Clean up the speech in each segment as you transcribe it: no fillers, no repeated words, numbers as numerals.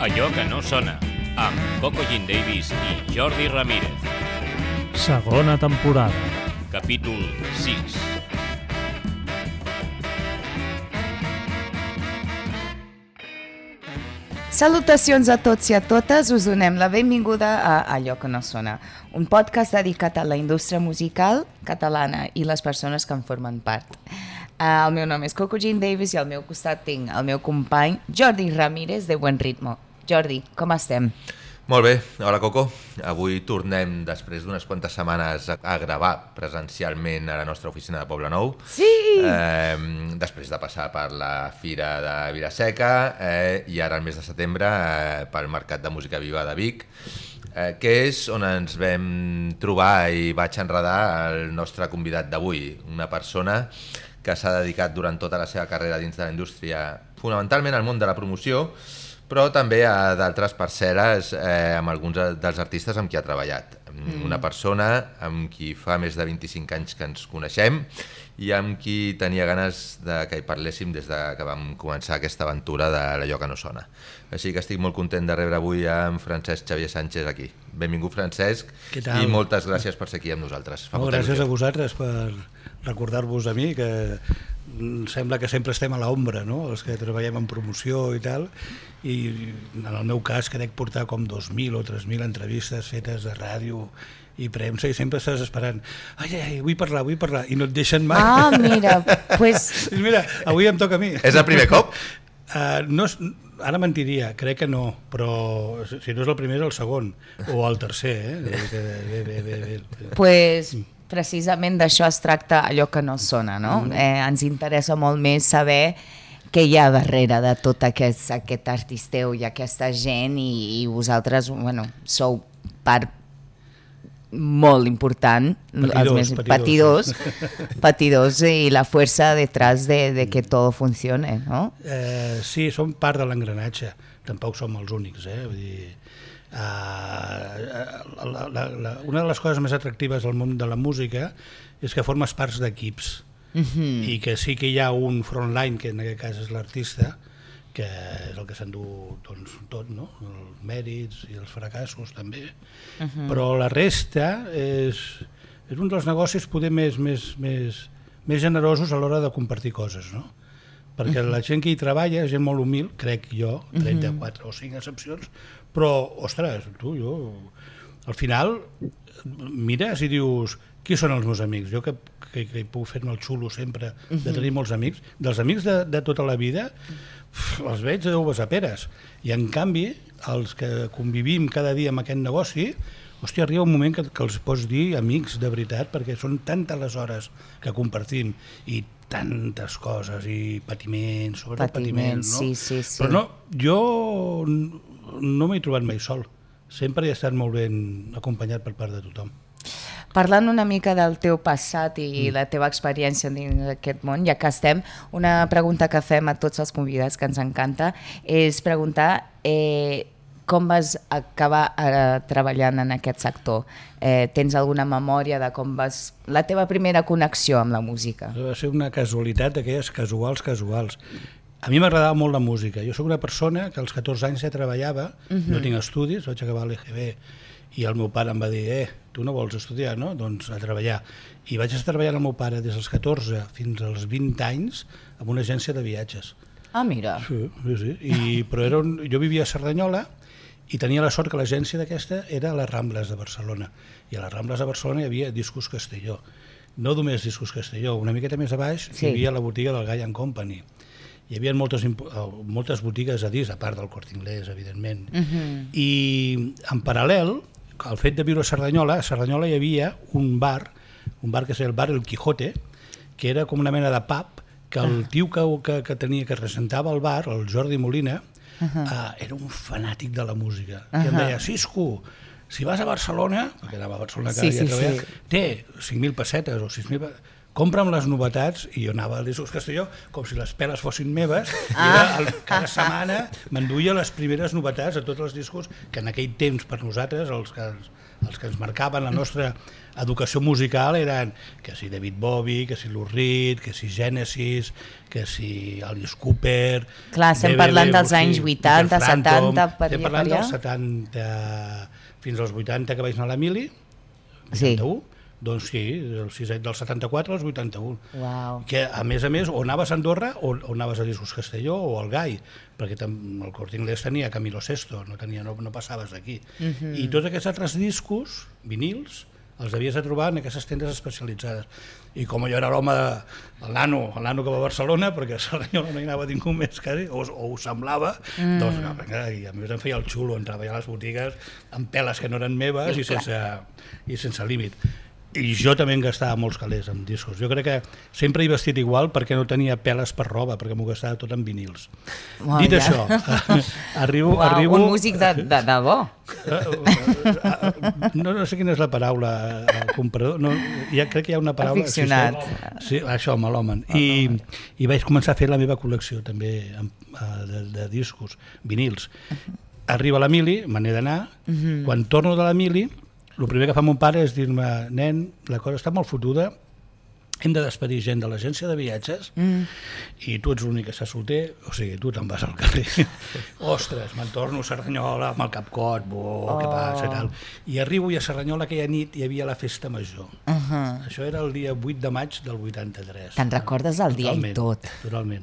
Allò que no sona, amb Coco Jean Davis i Jordi Ramírez. Segona temporada. Capítol 6. Salutacions a tots i a totes, us donem la benvinguda a Allò que no sona, un podcast dedicat a la indústria musical catalana i les persones que en formen part. El meu nom és Coco Jean Davis i al meu costat tinc el meu company Jordi Ramírez de Buen Ritmo. Jordi, com estem? Molt bé, hola Coco. Avui tornem després d'unes quantes setmanes a gravar presencialment a la nostra oficina de Poblenou. Sí! Després de passar per la Fira de Vila-seca i ara el mes de setembre pel Mercat de Música Viva de Vic, que és on ens vam trobar i vaig enredar el nostre convidat d'avui, una persona que s'ha dedicat durant tota la seva carrera dins de la indústria, fonamentalment al món de la promoció, però també a d'altres parcel·les amb alguns dels artistes amb qui ha treballat. Una persona amb qui fa més de 25 anys que ens coneixem i amb qui tenia ganes que hi parléssim des que vam començar aquesta aventura de l'Allò que no sona. Així que estic molt content de rebre avui en Francesc Xavier Sánchez aquí. Benvingut, Francesc, i moltes gràcies per ser aquí amb nosaltres. Gràcies a vosaltres per recordar-vos a mi, que sembla que sempre estem a l'ombra, no? Els que treballem en promoció i tal, i en el meu cas crec portar com 2.000 o 3.000 entrevistes fetes de ràdio i premsa i sempre estàs esperant vull parlar, i no et deixen mai. Mira, pues... Mira, avui em toca a mi. És el primer cop? No, ara mentiria, crec que no, però si no és el primer és el segon o el tercer. Bé. Pues... precisament d'això es tracta Allò que no sona, no? Ens interessa molt més saber què hi ha darrere de tot aquest artisteu i aquesta gent i vosaltres, bueno, sou part molt important, patidors i la fuerza detrás de que todo funcione, no? Sí, som part de l'engranatge, tampoc som els únics, vull dir... una de les coses més atractives del món de la música és que formes parts d'equips i que sí que hi ha un frontline, que en aquest cas és l'artista, que és el que s'endú tot, no? Els mèrits i els fracassos també, però la resta és un dels negocis poder més generosos a l'hora de compartir coses, no? Perquè la gent que hi treballa és gent molt humil, crec jo, 34 o 5 excepcions, però, ostres, al final mires i dius, qui són els meus amics? Jo que puc fer-me el xulo sempre de tenir molts amics, dels amics de tota la vida, els veig de uves a peres, i en canvi, els que convivim cada dia amb aquest negoci, hòstia, arriba un moment que els pots dir amics de veritat, perquè són tantes les hores que compartim, i tantes coses, i patiments, sobretot patiments, no? Sí. Però no, jo no m'he trobat mai sol, sempre he estat molt ben acompanyat per part de tothom. Parlant una mica del teu passat i la teva experiència dins d'aquest món, ja que estem, una pregunta que fem a tots els convidats que ens encanta és preguntar com vas acabar treballant en aquest sector? Tens alguna memòria de com vas... la teva primera connexió amb la música? Va ser una casualitat d'aquelles casuals. A mi m'agradava molt la música. Jo soc una persona que als 14 anys ja treballava, no tinc estudis, vaig acabar l'EGB i el meu pare em va dir, tu no vols estudiar, no? Doncs a treballar. I vaig estar treballant amb el meu pare des dels 14 fins als 20 anys en una agència de viatges. Mira. Sí. Però jo vivia a Cerdanyola i tenia la sort que l'agència d'aquesta era a les Rambles de Barcelona. I a les Rambles de Barcelona hi havia Discos Castelló. No només Discos Castelló, una miqueta més a baix hi havia la botiga del Gall & Company. Hi havia moltes botigues a disc, a part del Corte Inglés, evidentment. I en paral·lel, al fet de viure a Cerdanyola hi havia un bar que es deia el bar El Quijote, que era com una mena de pub, que el tio que representava el bar, el Jordi Molina, era un fanàtic de la música. I em deia, Cisco, si vas a Barcelona, perquè anava a Barcelona cada dia a treballar, té 5.000 pessetes o 6.000, compra'm les novetats, i jo anava al Discos Castelló com si les peles fossin meves, i cada setmana m'enduia les primeres novetats de tots els discos que en aquell temps per nosaltres, els que ens marcaven la nostra educació musical eren que si David Bowie, que si Lou Reed, que si Genesis, que si Alice Cooper... Clar, estem parlant dels anys 80, 70, per allà. Estem parlant dels 70 fins als 80 que vaig anar a la Mili, 81, doncs sí, del 74 als 81. Uau. Que a més, o anaves a Andorra o anaves a Discos Castelló o al Gai, perquè el Corte Inglés tenia Camilo Sesto, no passaves d'aquí. I tots aquests altres discos, vinils, els havies de trobar en aquestes tendes especialitzades. I com jo era l'home, el nano que va a Barcelona, perquè a Cerdanyola no hi anava ningú més quasi, o ho semblava, doncs i a més em feia el xulo, entrava ja a les botigues amb peles que no eren meves i sense límit. I jo també em gastava molts calés amb discos. Jo crec que sempre he vestit igual perquè no tenia peles per roba, perquè m'ho gastava tot en vinils. Dit això, arribo... Un músic de bo. No sé quina és la paraula, comprador. Crec que hi ha una paraula... Aficionat. Sí, això, melòman. I vaig començar a fer la meva col·lecció també de discos, vinils. Arriba la Mili, me n'he d'anar. Quan torno de la Mili, el primer que fa mon pare és dir-me, nen, la cosa està molt fotuda, hem de despedir gent de l'agència de viatges i tu ets l'únic que està solter, o sigui, tu te'n vas al carrer. Ostres, me'n torno a Cerdanyola amb el capcot, què passa i tal. I arribo i a Cerdanyola aquella nit hi havia la festa major. Això era el dia 8 de maig del 83. Te'n recordes el dia i tot. Totalment.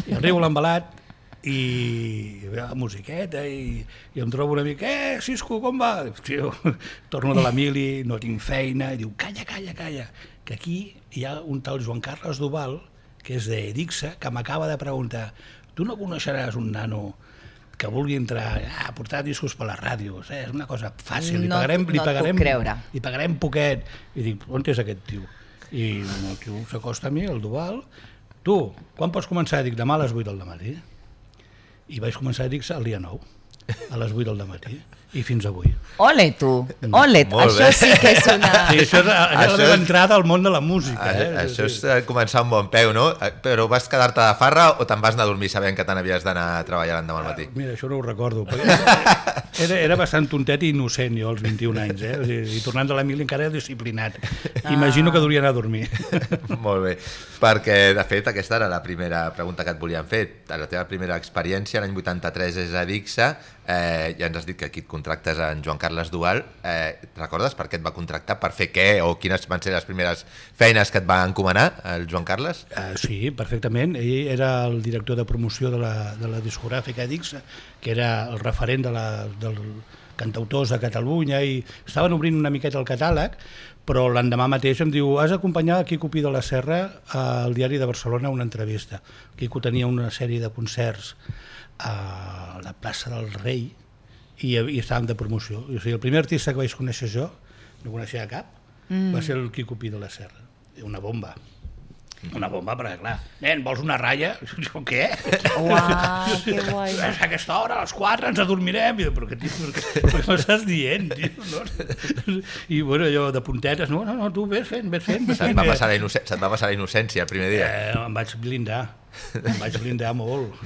I arribo a l'embalat i hi ha musiqueta i em trobo una mica, Cisco, com va? Tio, torno de la Mili, no tinc feina, i diu, calla, que aquí hi ha un tal Joan Carles Duval, que és d'Edixa, que m'acaba de preguntar, tu no coneixeràs un nano que vulgui entrar a portar discos per les ràdios, és una cosa fàcil, li pagarem poquet. I dic, on és aquest tio? I el tio s'acosta a mi, el Duval, tu, quan pots començar? Dic, demà a les 8 del matí. I vaig començar a dir-se el dia 9, a les 8 del matí, i fins avui. Ole tu, això sí que és una... Sí, això és la meva entrada al món de la música. Això és començar un bon peu, no? Però vas quedar-te de farra o te'n vas anar a dormir sabent que te n'havies d'anar a treballar l'endemà al matí? Mira, això no ho recordo. Era bastant tontet i innocent jo als 21 anys, i tornant de la Mili encara era disciplinat. Imagino que duria anar a dormir. Molt bé, perquè de fet aquesta era la primera pregunta que et volíem fer. La teva primera experiència l'any 83 és a Dixa, ja ens has dit que aquí et contractes en Joan Carles Duval. Recordes per què et va contractar? Per fer què? O quines van ser les primeres feines que et va encomanar el Joan Carles? Sí, perfectament. Ell era el director de promoció de la discogràfica Dixa, que era el referent dels cantautors de Catalunya, i estaven obrint una miqueta el catàleg, però l'endemà mateix em diu, has d'acompanyar Quico Pi de la Serra al Diari de Barcelona a una entrevista. Quico tenia una sèrie de concerts a la plaça del Rei i estàvem de promoció. O sigui, el primer artista que vaig conèixer jo, no coneixia cap, va ser el Quico Pi de la Serra. Una bomba. Una bomba, perquè clar, nen, vols una ratlla? Jo, què? Uau, que guai. A aquesta hora, a les 4, ens adormirem. I però què m'estàs dient, tio? No? I bueno, jo de puntetes, no, tu ves fent. Se't va passar la innocència el primer dia? Em vaig blindar molt,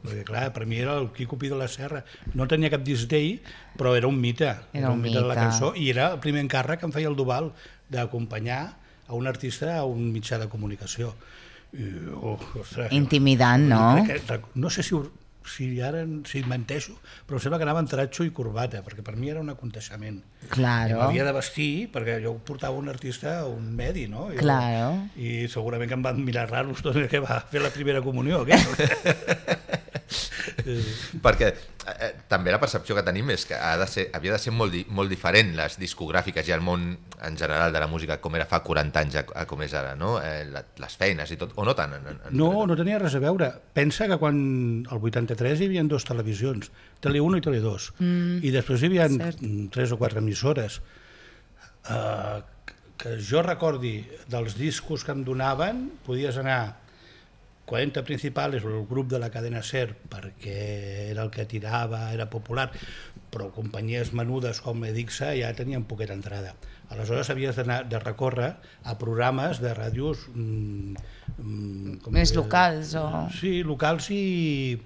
perquè clar, per mi era el Quico Pi de la Serra. No tenia cap disc d'ell, però era un mite. Era un mite de la cançó, i era el primer encàrrec que em feia el Duval d'acompanyar a un artista a un mitjà de comunicació. Ostres, intimidant, no? No sé si menteixo, però sembla que anava en taratxo i corbata, perquè per mi era un aconteixement. Claro. M'havia de vestir, perquè jo portava un artista a un medi, no? Claro. I segurament que em van mirar raros tot el que va fer la primera comunió, què? Perquè també la percepció que tenim és que havia de ser molt diferent les discogràfiques i el món en general de la música com era fa 40 anys a com és ara, no? Les feines i tot, o no tant? No tenia res a veure. Pensa que quan el 83 hi havia 2 televisions, Tele1 i Tele2, i després hi havia 3 o 4 emissores. Que jo recordi dels discos que em donaven, podies anar 40 Principal és el grup de la cadena SER perquè era el que tirava, era popular, però companyies menudes com Edixa ja tenien poqueta entrada. Aleshores havies de recórrer a programes de ràdios... Més locals o... Sí, locals i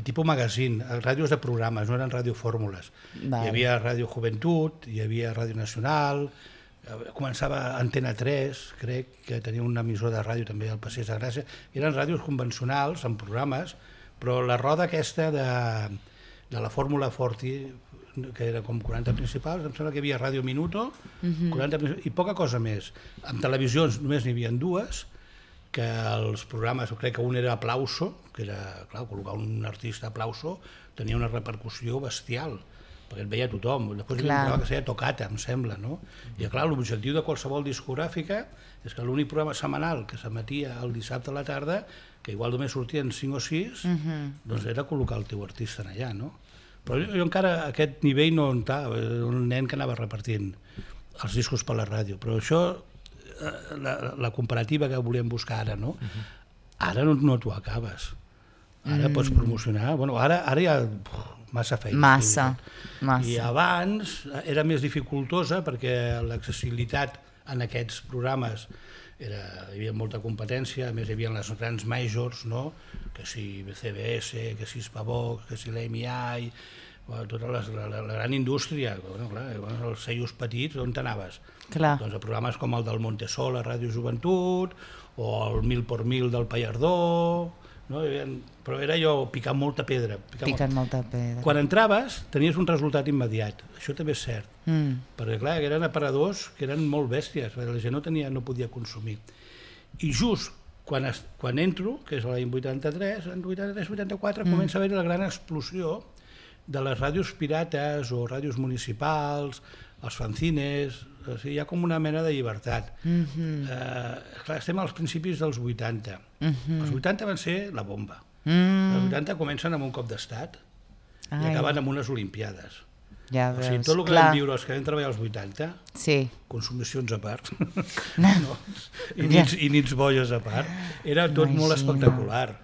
tipus magazine, ràdios de programes, no eren radiofórmules. Vale. Hi havia Ràdio Joventut, hi havia Ràdio Nacional, començava Antena 3, crec que tenia un emissor de ràdio també al Passeig de Gràcia, eren ràdios convencionals, amb programes, però la roda aquesta de la Fórmula Forti, que era com 40 Principals, em sembla que hi havia Ràdio Minuto, 40 i poca cosa més. En televisions només n'hi havia dues, que els programes, crec que un era Aplauso, que era, clar, col·locar un artista Aplauso tenia una repercussió bestial, perquè et veia tothom. Després hi havia un programa que seia Tocata, em sembla, no? I clar, l'objectiu de qualsevol discogràfica és que l'únic programa setmanal que s'emetia el dissabte a la tarda, que igual només sortien 5 o 6, doncs era col·locar el teu artista allà, no? Però jo encara a aquest nivell no estava, era un nen que anava repartint els discos per la ràdio, però això, la comparativa que volíem buscar ara, no? Ara no t'ho acabes. Ara pots promocionar, bueno, ara hi ha massa feina. Massa. I abans era més dificultosa perquè l'accessibilitat en aquests programes hi havia molta competència, a més hi havia les grans majors, no? Que si CBS, que si Spavox, que si l'EMI, tota la gran indústria, bueno, clar, els sellos petits, on t'anaves? Doncs a programes com el del Montesol a Ràdio Joventut, o el 1000 por 1000 del Pallardó, no? Però era allò picant molta pedra. Quan entraves tenies un resultat immediat, això també és cert, perquè clar, eren aparadors que eren molt bèsties, la gent no podia consumir. I just quan entro, que és l'any 83, en 83-84, comença a haver la gran explosió de les ràdios pirates o ràdios municipals, els fanzines, o sigui, hi ha com una mena de llibertat. Clar, estem als principis dels 80. Els 80 van ser la bomba. Els 80 comencen amb un cop d'estat i acaben amb unes olimpiades. Ja o sigui, tot el que vam viure els que vam treballar als 80, consumicions a part, i nits boges a part, era tot molt espectacular.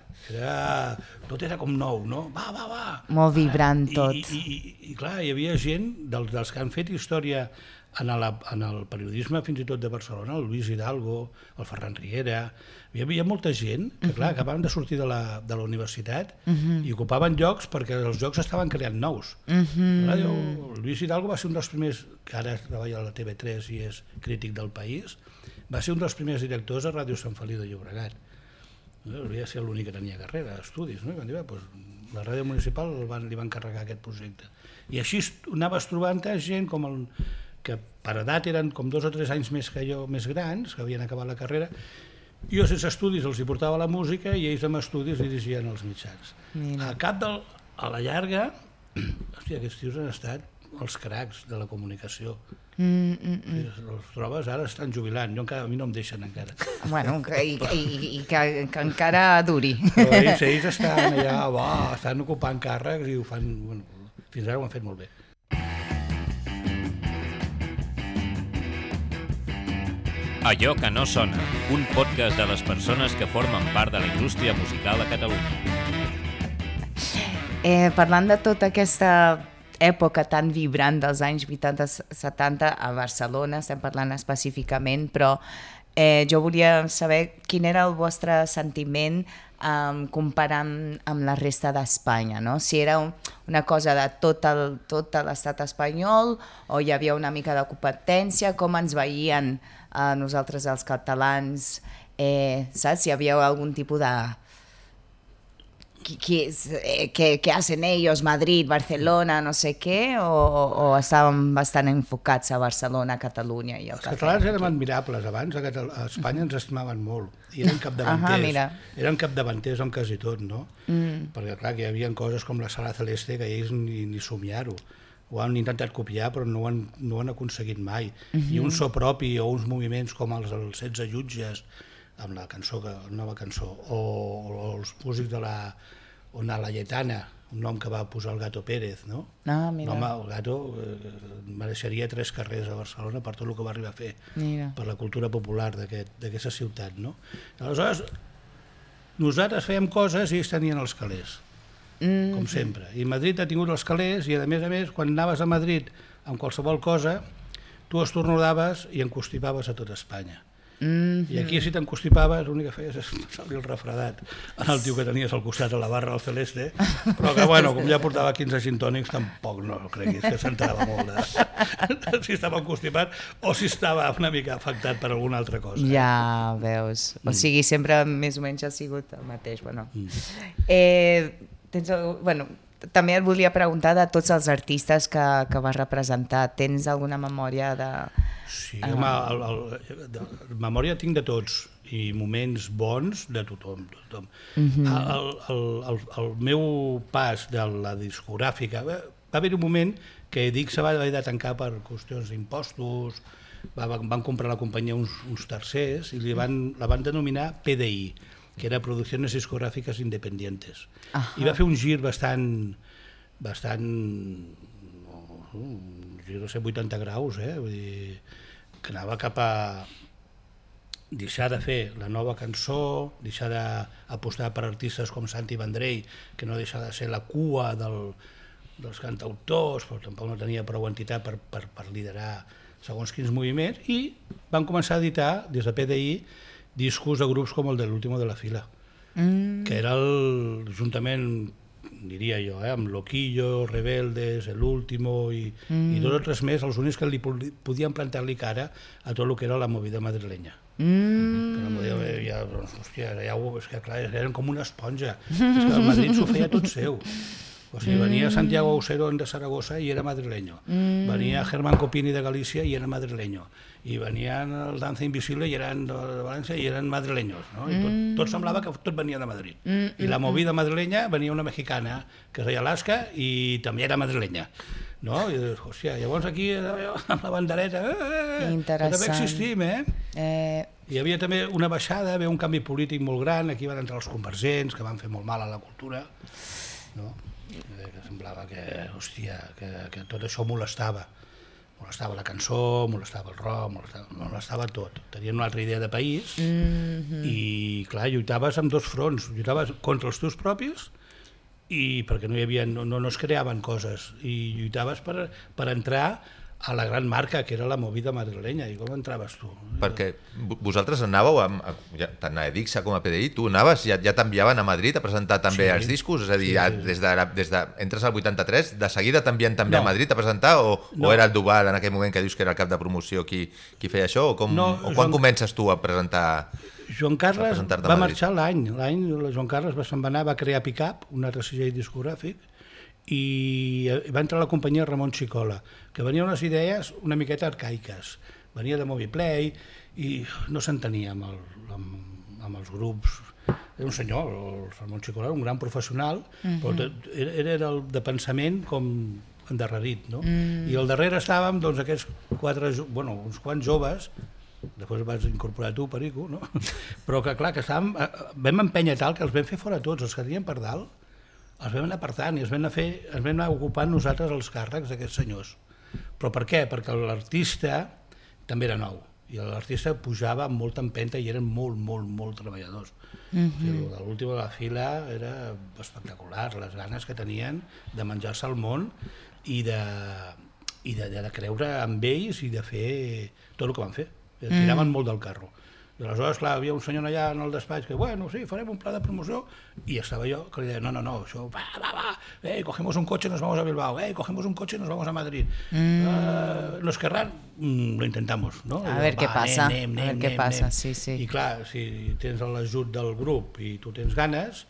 Tot era com nou, no? Va! Molt vibrant tot. I clar, hi havia gent dels que han fet història en el periodisme fins i tot de Barcelona, el Luis Hidalgo, el Ferran Riera, hi havia molta gent que clar, acabaven de sortir de la universitat i ocupaven llocs perquè els llocs estaven creant nous. El Luis Hidalgo va ser un dels primers, que ara treballa a la TV3 i és crític del País, va ser un dels primers directors a Ràdio Sant Feliu de Llobregat. Hauria de ser l'únic que tenia carrera, estudis, no? I van dir, la ràdio municipal li van encarregar aquest projecte. I així anaves trobant gent que per edat eren com 2 o 3 anys més que jo, més grans, que havien acabat la carrera. Jo sense estudis els hi portava la música i ells amb estudis dirigien els mitjans. A la llarga, hòstia, aquests tios han estat els cracs de la comunicació. Els trobes, ara estan jubilant, a mi no em deixen encara. Bueno, i que encara duri. Però ells estan allà, estan ocupant càrrecs i ho fan, fins ara ho han fet molt bé. Allò que no sona, un podcast de les persones que formen part de la indústria musical a Catalunya. Parlant de tota aquesta època tan vibrant dels anys 80-70 a Barcelona, estem parlant específicament, però jo volia saber quin era el vostre sentiment comparant amb la resta d'Espanya, no? Si era una cosa de tot l'estat espanyol o hi havia una mica de competència, com ens veien nosaltres els catalans, saps? Si hi havia algun tipus de... ¿Qué hacen ellos? Madrid, Barcelona, no sé què, o estaven bastant enfocats a Barcelona, Catalunya i el cafè? Els catalans érem admirables abans, a Espanya ens estimaven molt i eren capdavanters amb quasi tot, no? Perquè clar, que hi havia coses com la Sala Celeste que ells ni somiar-ho, ho han intentat copiar però no ho han aconseguit mai, i un so propi o uns moviments com els 16 jutges amb la nova cançó, o els músics de la Lletana, un nom que va posar el Gato Pérez, no? Mira. El Gato mereixeria 3 carrers a Barcelona per tot el que va arribar a fer, per la cultura popular d'aquesta ciutat, no? Aleshores, nosaltres fèiem coses i ells tenien els calés, com sempre. I Madrid ha tingut els calés i, a més, quan anaves a Madrid amb qualsevol cosa, tu estornudaves i encostipaves a tot Espanya. I aquí, si t'encostipaves, l'únic que feies és passar-li el refredat al tio que tenies al costat a la barra, al Celeste, però que, bueno, com ja portava 15 gintònics, tampoc no creguis que s'entrava molt de si estava encostipat o si estava una mica afectat per alguna altra cosa. Ja veus. O sigui, sempre més o menys ha sigut el mateix. Bueno. També et volia preguntar de tots els artistes que vas representar. Tens alguna memòria de... Sí, memòria tinc de tots i moments bons de tothom. El meu pas de la discogràfica, va haver un moment que Dic se va haver de tancar per qüestions d'impostos, van comprar la companyia uns tercers i la van denominar PDI, que era Producciones Discográficas Independientes. I va fer un gir bastant no sé, 80 graus, vull dir, que anava cap a deixar de fer la nova cançó, deixar d'apostar per artistes com Santi Vendrell, que no deixa de ser la cua dels cantautors, però tampoc no tenia prou entitat per liderar segons quins moviments, i van començar a editar, des de PDI, discos de grups com el de l'Último de la Fila, que era juntament, diria jo, amb Loquillo, Rebeldes, El Último i dos o tres més, els únics que li podien plantar-li cara a tot el que era la movida madrilenya. Hòstia, és que clar, eren com una esponja, és que el Madrid s'ho feia tot seu. O sigui, venia Santiago Auserón de Saragossa i era madrileño, venia Germán Copini de Galícia i era madrileño, i venien el Danza Invisible i eren de València i eren madrileños, no? I tot semblava que tot venia de Madrid. I la movida madrilenya venia una mexicana que es deia Alaska i també era madrilenya. No? I dius, hòstia, llavors aquí amb la bandereta, també existim, Hi havia també una baixada, hi havia un canvi polític molt gran, aquí van entrar els convergents, que van fer molt mal a la cultura, no? Que semblava que, hòstia, que tot això molestava la cançó, molestava el rock, molestava tot. Tenien una altra idea de país i, clar, lluitaves amb dos fronts, lluitaves contra els teus propis i perquè no es creaven coses, i lluitaves per entrar a la gran marca que era la movida madrilenya. I com entraves tu? Perquè vosaltres anàveu, tant a Edixa com a PDI, tu anaves, ja t'enviaven a Madrid a presentar també els discos? És a dir, entres al 83, de seguida t'envien també a Madrid a presentar, o era el Duval en aquell moment que dius que era el cap de promoció qui feia això? O quan comences tu a presentar? Joan Carles va marxar l'any, Joan Carles se'n va anar, va crear Pick-up, un altre segell discogràfic, i va entrar a la companyia Ramon Xicola, que venia unes idees una miqueta arcaiques, venia de Moviplay i no s'entenia amb els grups. Era un senyor, el Ramon Xicola, un gran professional, però era de pensament com endarrerit, no? I al darrere estàvem aquests uns quants joves, després vas incorporar tu, Perico, no? Però que clar, que vam empènyer tal que els vam fer fora tots, els que tenien per dalt, els vam anar apartant i els vam anar ocupant nosaltres els càrrecs d'aquests senyors. Però per què? Perquè l'artista també era nou i l'artista pujava amb molta empenta i eren molt, molt, molt treballadors. L'Últim de la Fila era espectacular, les ganes que tenien de menjar-se el món i de creure en ells i de fer tot el que van fer. Tiraven molt del carro. I aleshores, clar, havia un senyor allà en el despatx que, sí, farem un pla de promoció, i estava jo que li deia, no, això, va, cogemos un coche, nos vamos a Bilbao, cogemos un coche, nos vamos a Madrid. Nos querrán, lo intentamos, no? A ver què passa, sí. I clar, si tens l'ajut del grup i tu tens ganes,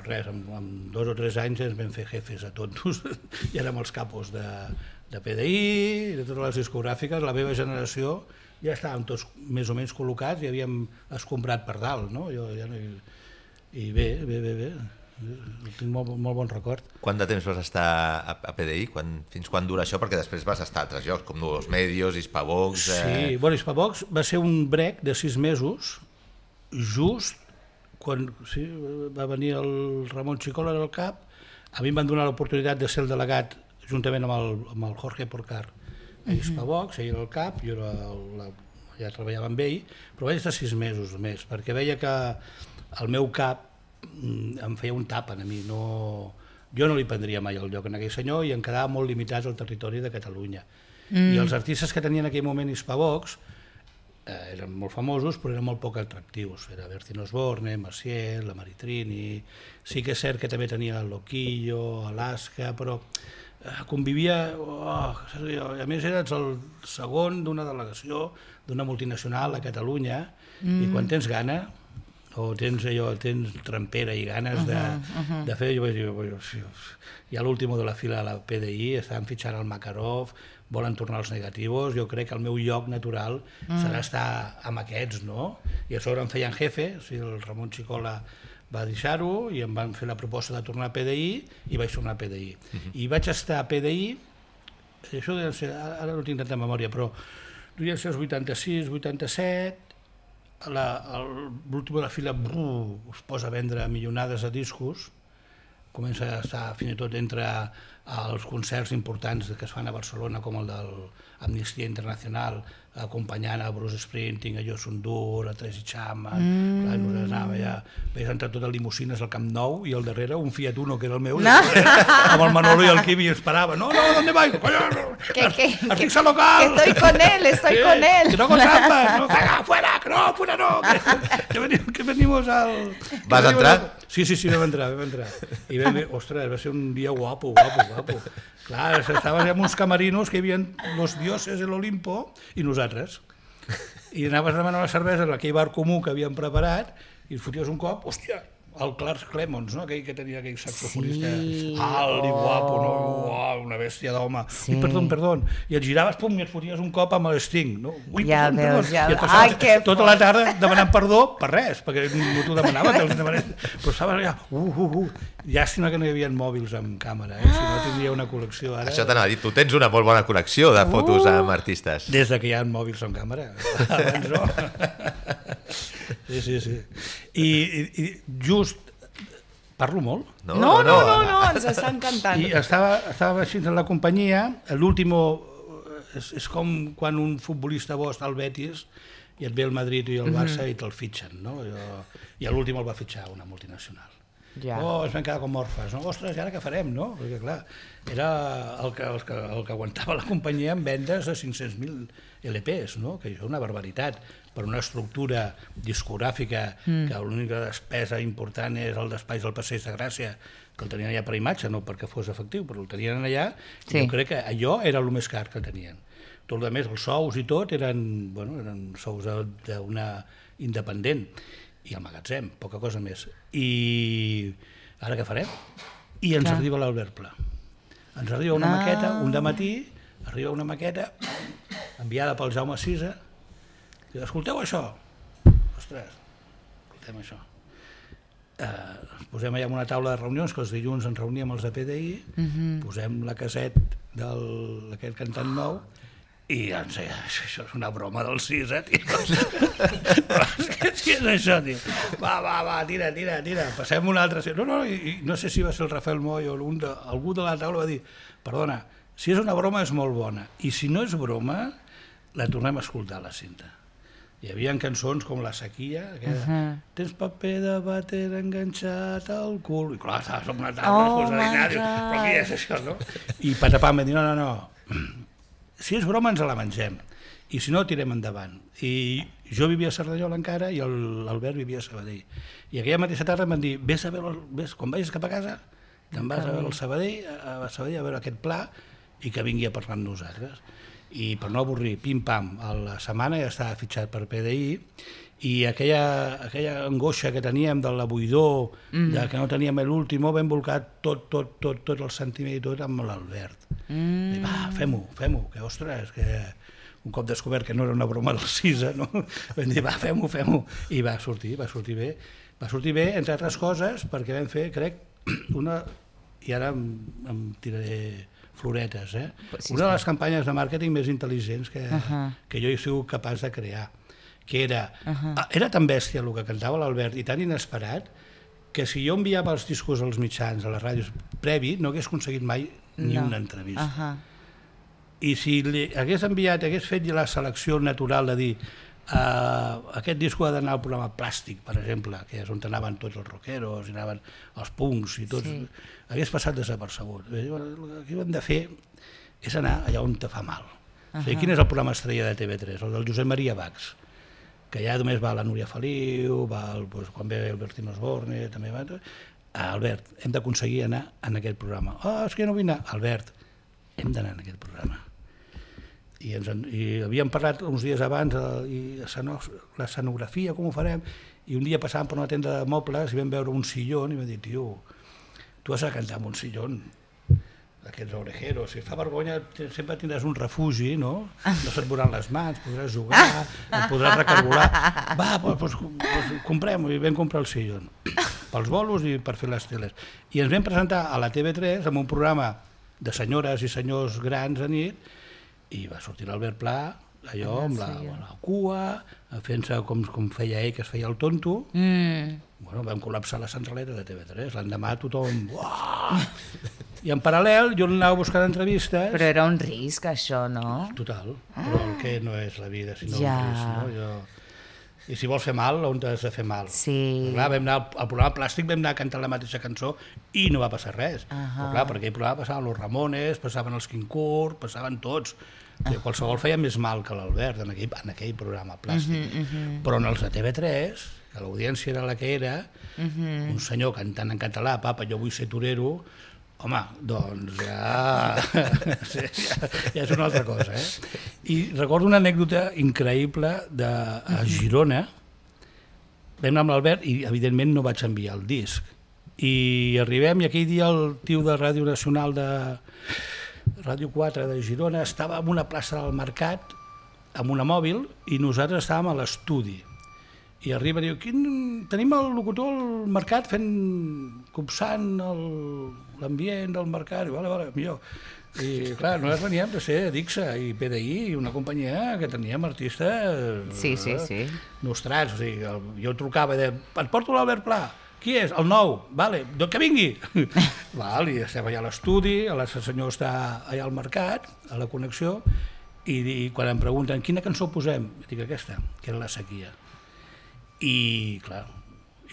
res, en 2 o 3 anys ens vam fer jefes a tots, i érem els capos de PDI, de totes les discogràfiques, la meva generació, ja estàvem tots més o menys col·locats i havíem escombrat per dalt, no? I bé, tinc molt bon record. Quant de temps vas estar a PDI? Fins quan dura això? Perquè després vas estar a altres llocs, com Nuevos Medios, Hispavox... Sí, Hispavox va ser un break de 6 mesos, just quan va venir el Ramon Xicola al cap, a mi em van donar l'oportunitat de ser el delegat juntament amb el Jorge Porcar a Hispavox, ell era el cap, jo ja treballava amb ell, però vaig estar 6 mesos més, perquè veia que el meu cap em feia un tap a mi, jo no li prendria mai el lloc en aquell senyor i em quedava molt limitats al territori de Catalunya. I els artistes que tenien en aquell moment Hispavox eren molt famosos però eren molt poc atractius. Era Bertín Osborne, Maciel, la Maritrini, sí que és cert que també tenia el Loquillo, Alaska, però convivia, a més eres el segon d'una delegació d'una multinacional a Catalunya i quan tens gana o tens trampera i ganes de fer, jo vaig dir, hi ha l'último de la fila de la PDI, estan fitxant el Makarov, volen tornar als negativos, jo crec que el meu lloc natural serà estar amb aquests, no? I a sobre em feien jefe, o sigui, el Ramon Xicola va deixar-ho i em van fer la proposta de tornar a PDI i vaig tornar a PDI. I vaig estar a PDI, això deu ser, ara no tinc tanta memòria, però devia ser els 86, 87, l'últim de la fila es posa a vendre milionades de discos, comença a estar fins i tot entre els concerts importants que es fan a Barcelona com el de l'Amnistia Internacional acompanyant a Bruce Springsteen, a Josun Dur, a Tracy Chapman, vaig entrar tot a limusines al Camp Nou i al darrere un Fiat Uno que era el meu, amb el Manolo i el Quimi esperava, no, ¿dónde vais? Artista local! Que estoy con él. Que no con trampas, no, fuera no, que venimos al... Vas entrar? Sí, vam entrar. I ostres, va ser un dia guapo. Clar, estaves amb uns camarinos que hi havia los dioses de l'Olimpo i nosaltres. I anaves a demanar una cervesa en aquell bar comú que havíem preparat i et foties un cop, hòstia, el Clark Clemons, no? Aquell que tenia aquell saxofonista alt i guapo, no? Uau, una bèstia d'home. Ui, perdó. I et giraves, pum, i et foties un cop amb l'Sting. No? Ui, ja perdó. Veus, ja I et passaves tota la tarda demanant perdó per res, perquè no t'ho demanaves, però estaves allà, Llàstima que no hi havia mòbils amb càmera, si no tindria una col·lecció ara. Això t'anava a dir, tu tens una molt bona col·lecció de fotos amb artistes. Des que hi ha mòbils amb càmera, abans no. Sí. I just... Parlo molt? No, ens està encantant. I estava així en la companyia, l'último és com quan un futbolista bo està al Betis i et ve el Madrid i el Barça i te'l fitxen, no? I l'últim el va fitxar una multinacional. Es van quedar com orfes, no? Ostres, i ara què farem, no? Perquè clar, era el que aguantava la companyia amb vendes de 500.000 LPs, no? Que és una barbaritat per una estructura discogràfica que l'única despesa important és el d'espais del Passeig de Gràcia, que el tenien allà per imatge, no perquè fos efectiu, però el tenien allà, i jo crec que allò era el més car que tenien. Tot el més, els sous i tot, eren sous d'una independent, i el magatzem, poca cosa més. I ara què farem? I ens arriba l'Albert Pla. Ens arriba una maqueta, un dematí, arriba una maqueta enviada pel Jaume Sisa, i escolteu això? Ostres, escoltem això. Ens posem allà en una taula de reunions, que els dilluns ens reuníem els de PDI, posem la caset d'aquest cantant nou, i doncs, això és una broma del Sisa, tio. Què és això, tio? Va, tira, passem una altra... No sé si va ser el Rafael Moy o algú de la taula va dir, perdona, si és una broma és molt bona, i si no és broma, la tornem a escoltar, la cinta. Hi havia cançons com La sequia, tens paper de vàter enganxat al cul, i clar, estaves en una taula, però què és això, no? I patapam, va dir, no, si és broma ens la mengem, i si no tirem endavant. I jo vivia a Cerdanyola encara i l'Albert vivia a Sabadell. I aquella mateixa tarda em van dir, quan vagis cap a casa, te'n vas a veure el Sabadell, a veure aquest Pla, i que vingui a parlar amb nosaltres. I per no avorrir, pim-pam, a la setmana ja estava fitxat per PDI, i aquella angoixa que teníem de la buidor, que no teníem l'últim, vam volcar tot el sentiment i tot amb l'Albert. Va, fem-ho, que ostres, que un cop descobert que no era una broma del Sisa, no? Vam dir, va, fem-ho, i va sortir bé. Va sortir bé, entre altres coses, perquè vam fer, crec, i ara em tiraré floretes, una de les campanyes de màrqueting més intel·ligents que jo he sigut capaç de crear, que era tan bèstia el que cantava l'Albert i tan inesperat que si jo enviava els discos als mitjans, a les ràdios previ, no hagués aconseguit mai ni una entrevista. I si hagués fet la selecció natural de dir aquest disco ha d'anar al programa Plàstic, per exemple, que és on anaven tots els rockeros, i anaven els punks i tots, hagués passat desapercebut. El que hem de fer és anar allà on te fa mal. O sigui, quin és el programa estrella de TV3? El del Josep Maria Bax, que ja només va la Núria Feliu, quan ve el Bertín Osborne, també va... Albert, hem d'aconseguir anar en aquest programa. És que no vull anar. Albert, hem d'anar en aquest programa. I havíem parlat uns dies abans l'escenografia, com ho farem, i un dia passàvem per una tenda de mobles i vam veure un sillón i vam dir, tio, tu has de cantar amb un sillón d'aquests orejeros, si fa vergonya sempre tindràs un refugi, no? No se't veuran les mans, podràs jugar, et podràs recargolar. Va, doncs comprem, i vam comprar el sillón, pels bolos i per fer les teles. I ens vam presentar a la TV3 amb un programa de senyores i senyors grans a nit, i va sortir l'Albert Pla, allò amb la cua, fent-se com feia ell, que es feia el tonto. Bueno, vam col·lapsar la centraleta de TV3, l'endemà tothom... I en paral·lel jo anava buscant entrevistes... Però era un risc, això, no? Total, però el que no és la vida, sinó un risc, no? I si vols fer mal, on t'has de fer mal? Sí. Clar, vam anar al programa Plàstic, vam anar a cantar la mateixa cançó i no va passar res. Però clar, per aquell programa passaven los Ramones, passaven els Quincourt, passaven tots. Qualsevol feia més mal que l'Albert en aquell programa Plàstic. Però en els de TV3, que l'audiència era la que era, un senyor cantant en català, papa, jo vull ser torero, home, doncs ja és una altra cosa, I recordo una anècdota increïble a Girona. Vam anar amb l'Albert i, evidentment, no vaig enviar el disc. I arribem i aquell dia el tio de Ràdio Nacional de Ràdio 4 de Girona estava en una plaça del Mercat amb una mòbil i nosaltres estàvem a l'estudi. I arriba i diu, tenim el locutor al Mercat copsant l'ambient del Mercat. I vale, millor. I clar, nosaltres veníem de ser Dixa i PDI, una companyia que teníem artistes nostrats. O sigui, jo trucava i deia, et porto l'Albert Pla. Qui és? El nou. Vale, doncs que vingui. I estem allà a l'estudi, el senyor està allà al Mercat, a la connexió, i quan em pregunten quina cançó posem, dic aquesta, que era La sequia. I clar,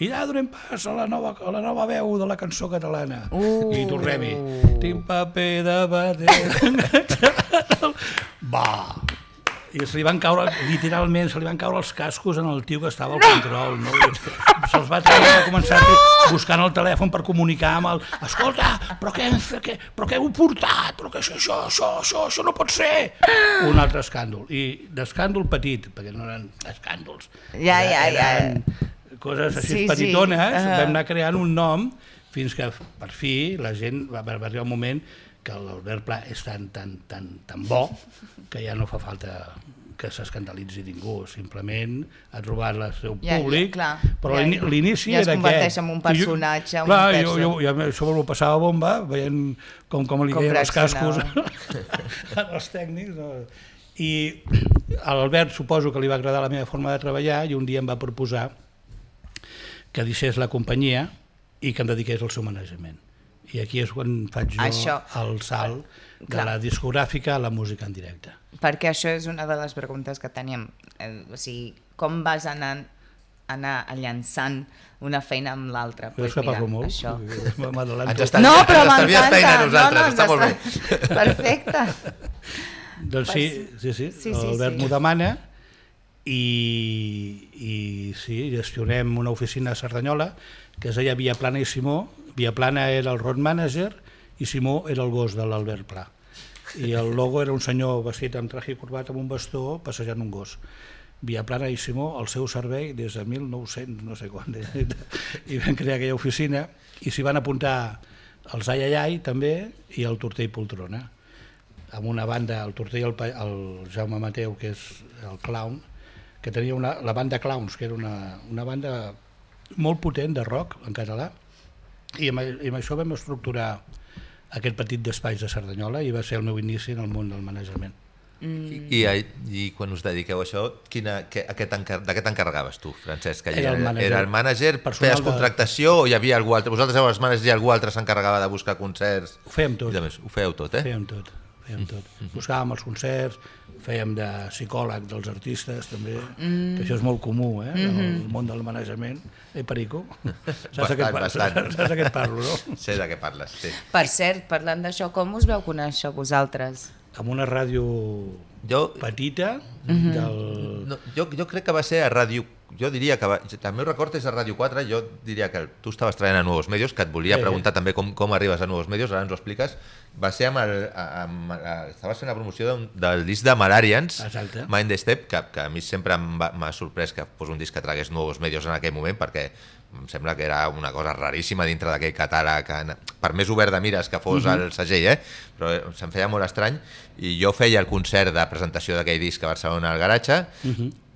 i ja donem pas a la nova veu de la cançó catalana. I tornem-hi. Tinc paper de bater. Va! I se li van caure, literalment, els cascos en el tio que estava al control. Se'ls va treure i va començar buscant el telèfon per comunicar amb el... Escolta, però què heu portat? Però que això no pot ser! Un altre escàndol. I d'escàndol petit, perquè no eren escàndols. Eren coses així petitones, vam anar creant un nom fins que, per fi, la gent va arribar un moment que l'Albert Pla és tan bo que ja no fa falta que s'escandalitzi ningú, simplement ha trobat el seu públic, però l'inici era aquest. Ja es converteix en un personatge, això m'ho passava bomba, veient com li caien els cascos als tècnics. I a l'Albert suposo que li va agradar la meva forma de treballar i un dia em va proposar que deixés la companyia i que em dediqués al seu manejament. I aquí és quan faig jo el salt de la discogràfica a la música en directe. Perquè això és una de les preguntes que teníem. O sigui, com vas anar llançant una feina amb l'altra? Pues mira, això. No, però m'encanta. Està molt bé. Perfecte. Doncs sí, l'Albert m'ho demana i sí, gestionem una oficina a Cerdanyola que es deia Via Plana i Simó. Via Plana era el road manager i Simó era el gos de l'Albert Pla. I el logo era un senyor vestit amb traje i corbat amb un bastó passejant un gos. Via Plana i Simó al seu servei des de 1900, no sé quan, i van crear aquella oficina i s'hi van apuntar els Ai Ai Ai també i el Tortell Poltrona. Amb una banda, el Tortell, el Jaume Mateu, que és el clown, que tenia la banda Clowns, que era una banda molt potent de rock en català, i amb això vam estructurar aquest petit despatx de Cerdanyola i va ser el meu inici en el món del manejament. I quan us dediqueu a això, de què t'encarregaves tu, Francesc? Era el mànager, feies contractació o hi havia algú altre? Vosaltres éreu els mànagers i algú altre s'encarregava de buscar concerts? Ho fèiem tot. Ho fèieu tot, Fèiem tot. fèiem tot. Buscàvem els concerts, fèiem de psicòleg dels artistes també, que això és molt comú, el món del manejament. Perico, saps de què et parlo, no? Sé de què parles, sí. Per cert, parlant d'això, com us veu conèixer vosaltres? Amb una ràdio petita Jo crec que va ser a Ràdio... Jo diria que... El meu record és a Ràdio 4, jo diria que tu estaves treballant a Nuevos Medios, que et volia preguntar també com arribes a Nuevos Medios, ara ens ho expliques. Va ser estaves fent la promoció del disc de Malarians, Mind the Step, que a mi sempre m'ha sorprès que fos un disc que tragués Nuevos Medios en aquell moment, perquè em sembla que era una cosa raríssima dintre d'aquell catàleg, per més obert de mires que fos el segell, però se'm feia molt estrany, i jo feia el concert de presentació d'aquell disc a Barcelona al Garatge,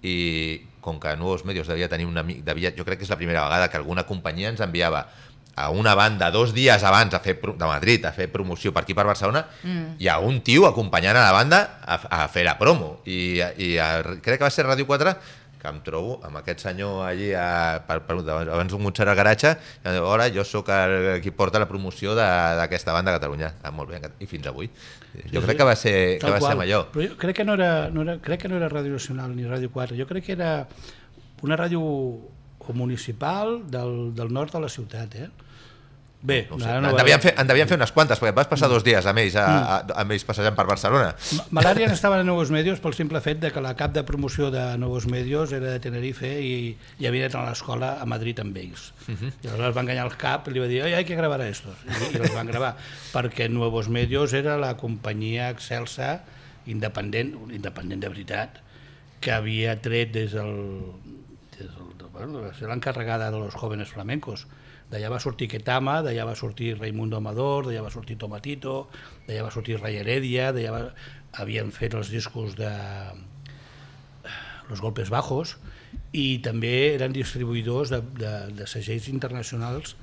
i com que Nuevos Medios devia tenir un amic, jo crec que és la primera vegada que alguna companyia ens enviava a una banda 2 dies abans de Madrid a fer promoció per aquí per Barcelona, i a un tio acompanyant a la banda a fer la promo, i crec que va ser Ràdio 4, que em trobo amb aquest senyor allí abans d'un concert al Garatge, i hola, jo sóc el qui porta la promoció d'aquesta banda a Catalunya. Molt bé, i fins avui. Jo crec que va ser amb allò. Però jo crec que no era Ràdio Nacional ni Ràdio 4, jo crec que era una ràdio municipal del nord de la ciutat, Bé, no sé. En devien fer unes quantes, perquè vas passar 2 dies amb ells passejant per Barcelona. Malària estaven a Nuevos Medios pel simple fet de que la cap de promoció de Nuevos Medios era de Tenerife i havia anat a l'escola a Madrid amb ells. I aleshores va enganyar el cap i li va dir hay que gravar a estos. I els van gravar, perquè Nuevos Medios era la companyia excelsa, independent de veritat, que havia tret des del ser l'encarregada de los jóvenes flamencos. D'allà va sortir Ketama, d'allà va sortir Raimundo Amador, d'allà va sortir Tomatito, d'allà va sortir Ray Heredia, havien fet els discos de Los Golpes Bajos, i també eren distribuïdors de segells internacionals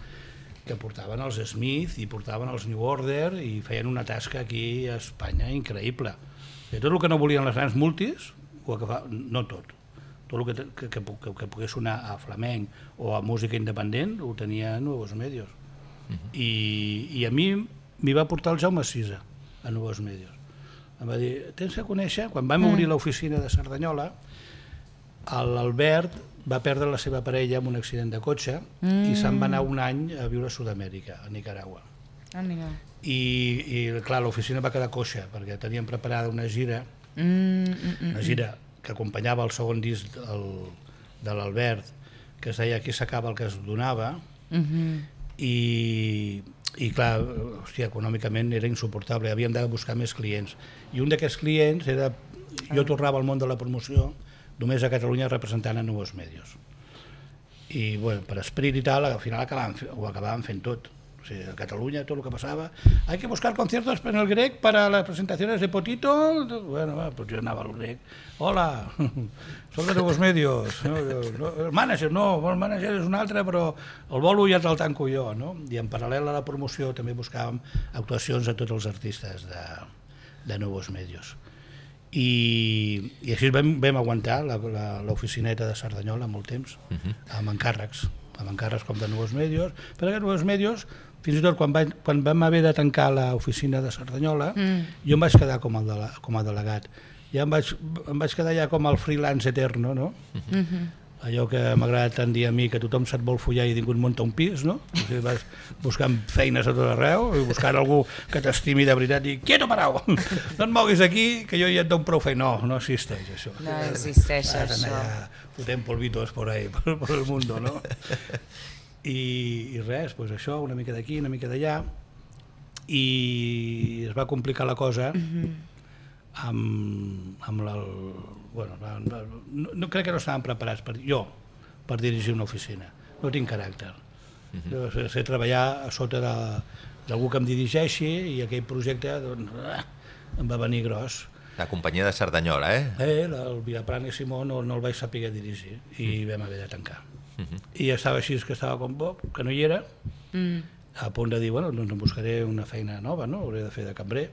que portaven els Smith i portaven els New Order i feien una tasca aquí a Espanya increïble. Tot el que no volien les grans multis, no tot el que pogués sonar a flamenc o a música independent ho tenia a Nuevos Medios. I a mi m'hi va portar el Jaume Sisa a Nuevos Medios. Em va dir, tens que conèixer, quan vam obrir l'oficina de Cerdanyola, l'Albert va perdre la seva parella en un accident de cotxe i se'n va anar un any a viure a Sud-amèrica, a Nicaragua. I clar, l'oficina va quedar coixa perquè teníem preparada una gira que acompanyava el segon disc de l'Albert, que es deia Aquí s'acaba el que es donava, i clar, hòstia, econòmicament era insuportable, havíem de buscar més clients. I un d'aquests clients era... Jo tornava al món de la promoció només a Catalunya representant a Nuevos Medios. I bueno, per esperit i tal, al final ho acabàvem fent tot. O sigui, a Catalunya tot el que passava, hay que buscar conciertos en el Grec para las presentaciones de Potito. Bueno, pues yo anava al Grec. Hola, soc de Nuevos Medios. El manager, no, el manager és un altre, però el bolo ja te'l tanco jo. No? I en paral·lel a la promoció també buscàvem actuacions a tots els artistes de Nuevos Medios. I així vam aguantar l'oficineta de Cerdanyola molt temps, amb encàrrecs com de Nuevos Medios, perquè Nuevos Medios, fins i tot quan vam haver de tancar l'oficina de Cerdanyola, jo em vaig quedar com a delegat. Ja em vaig quedar ja com el freelance eterno, no? Allò que m'agrada tant dir a mi, que tothom se't vol follar i ningú et munta un pis, no? Vas buscant feines a tot arreu i buscant algú que t'estimi de veritat i quieto parau, no et moguis aquí que jo ja et dono prou feina. No existeix això. No existeix això. Fotem polvitos por ahí, por el mundo, no? I res, doncs això, una mica d'aquí, una mica d'allà, i es va complicar la cosa amb el... Bueno, no crec que no estaven preparats per dirigir una oficina. No tinc caràcter. Sé treballar a sota d'algú que em dirigeixi i aquell projecte em va venir gros. La companyia de Cerdanyola, El Vilapran i Simó no el vaig saber dirigir i vam haver de tancar. I estava així, que estava com Bob, que no hi era, a punt de dir, bueno, doncs em buscaré una feina nova, no? Hauré de fer de cambrer.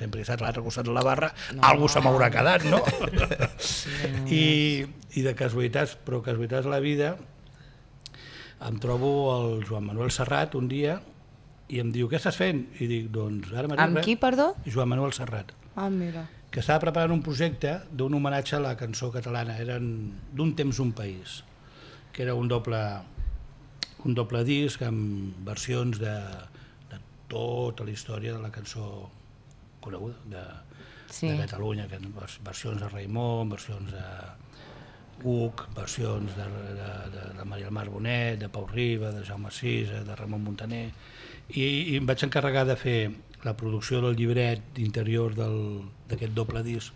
Sempre he estat a l'altre costat de la barra, algú se m'haurà quedat, no? I de casualitats, però casualitats de la vida, em trobo el Joan Manuel Serrat un dia i em diu, què estàs fent? I dic, doncs ara mateix... Amb qui, perdó? Joan Manuel Serrat. mira. que estava preparant un projecte d'un homenatge a la cançó catalana, eren d'un temps un país, que era un doble disc amb versions de tota la història de la cançó coneguda de Catalunya, versions de Raimon, versions de Uc, versions de Maria del Mar Bonet, de Pau Riba, de Jaume Sisa, de Ramon Muntaner, i em vaig encarregar de fer la producció del llibret interior d'aquest doble disc,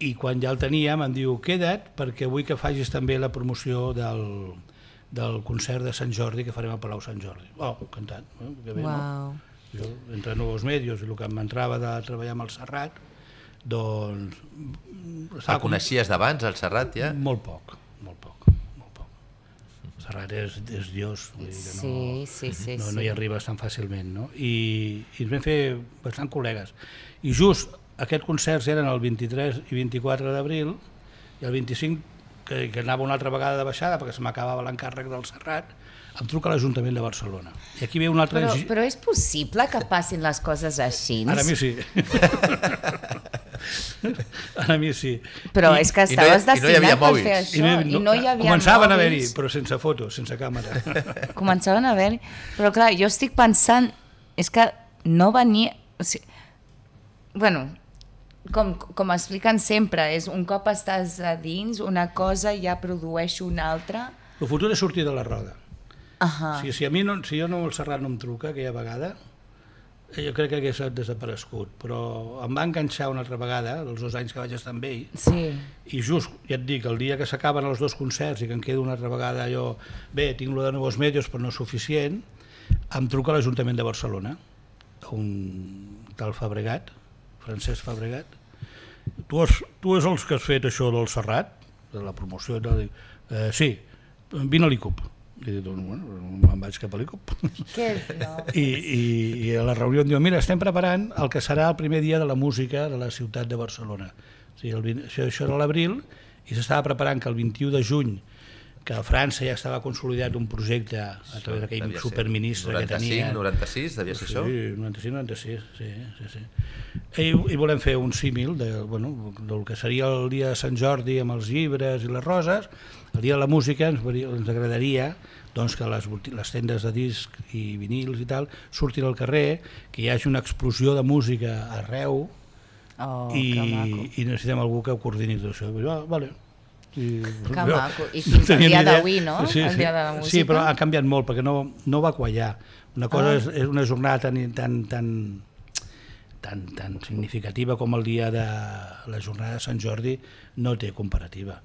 i quan ja el teníem em diu queda't perquè vull que facis també la promoció del concert de Sant Jordi que farem al Palau Sant Jordi. Encantat, que bé, no? Jo, entre nous medios i el que m'entrava de treballar amb el Serrat, doncs... El coneixies d'abans, el Serrat, ja? Molt poc. El Serrat és Dios, vull dir que no hi arribes tan fàcilment, no? I ens vam fer bastant col·legues. I just aquests concerts eren el 23 i 24 d'abril, i el 25, que anava una altra vegada de baixada perquè se m'acabava l'encàrrec del Serrat, em truca l'Ajuntament de Barcelona. I aquí ve una altra... Però és possible que passin les coses així? Ara a mi sí. Ara a mi sí. Però és que estaves destinat per fer això. I no hi havia començaven a haver-hi, però sense fotos, sense càmera. Començaven a haver-hi. Però clar, jo estic pensant, és que no venia... O sigui, bueno, com expliquen sempre, és un cop estàs a dins, una cosa ja produeix una altra. El futur és sortir de la roda. Si jo no el Serrat no em truca aquella vegada, jo crec que hagués desaparegut, però em va enganxar una altra vegada, els 2 anys que vaig estar amb ell, i just, ja et dic, el dia que s'acaben els 2 concerts i que em quedo una altra vegada jo, bé, tinc lo de Nous Medios però no és suficient, em truca l'Ajuntament de Barcelona, un tal Fabregat, Francesc Fabregat, tu és els que has fet això del Serrat, de la promoció, sí, vine a l'ICUP. I dic, bueno, me'n vaig cap a l'ICUP. I a la reunió em diu, mira, estem preparant el que serà el primer dia de la música de la ciutat de Barcelona. O sigui, això era l'abril, i s'estava preparant que el 21 de juny, que a França ja estava consolidat un projecte a través d'aquell superministre que tenia. 95, 96, devia ser això? Sí, 95-96, sí. I volem fer un símil del que seria el dia de Sant Jordi amb els llibres i les roses. El dia de la música ens agradaria que les tendes de disc i vinils i tal surtin al carrer, que hi hagi una explosió de música arreu i necessitem algú que coordini tot això. Vale. Que maco. I fins al dia d'avui, no? El dia de la música. Sí, però ha canviat molt perquè no va quallar. Una cosa és una jornada tan significativa com el dia de la jornada de Sant Jordi, no té comparativa.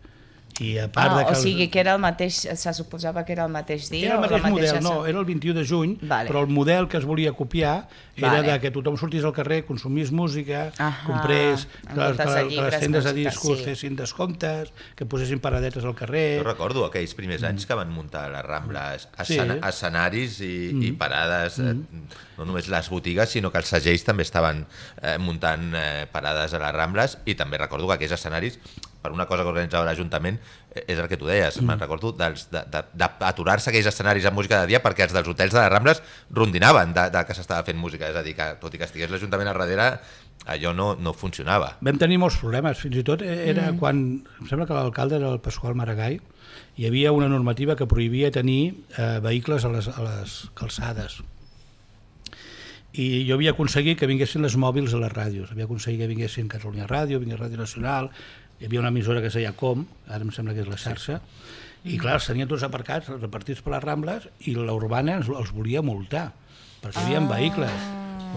O sigui que era el mateix, se suposava que era el mateix dia? Era el mateix model, no, era el 21 de juny, però el model que es volia copiar era que tothom sortís al carrer, consumís música, comprés, que les tendes de discos fessin descomptes, que posessin paradetes al carrer... Jo recordo aquells primers anys que van muntar a les Rambles escenaris i parades, no només les botigues, sinó que els segells també estaven muntant parades a les Rambles, i també recordo que aquells escenaris, per una cosa que organitzava l'Ajuntament, és el que tu deies, me'n recordo d'aturar-se aquells escenaris amb música de dia perquè els dels hotels de les Rambles rondinaven que s'estava fent música, és a dir, que tot i que estigués l'Ajuntament a darrere, allò no funcionava. Vam tenir molts problemes, fins i tot era quan, em sembla que l'alcalde era el Pasqual Maragall, hi havia una normativa que prohibia tenir vehicles a les calçades. I jo havia aconseguit que vinguessin les mòbils a les ràdios, havia aconseguit que vinguessin Catalunya Ràdio, vingués Ràdio Nacional, hi havia una emissora que es deia Com, ara em sembla que és la xarxa, i clar, els tenien tots aparcats, repartits per les Rambles, i l'Urbana els volia multar, perquè hi havia vehicles.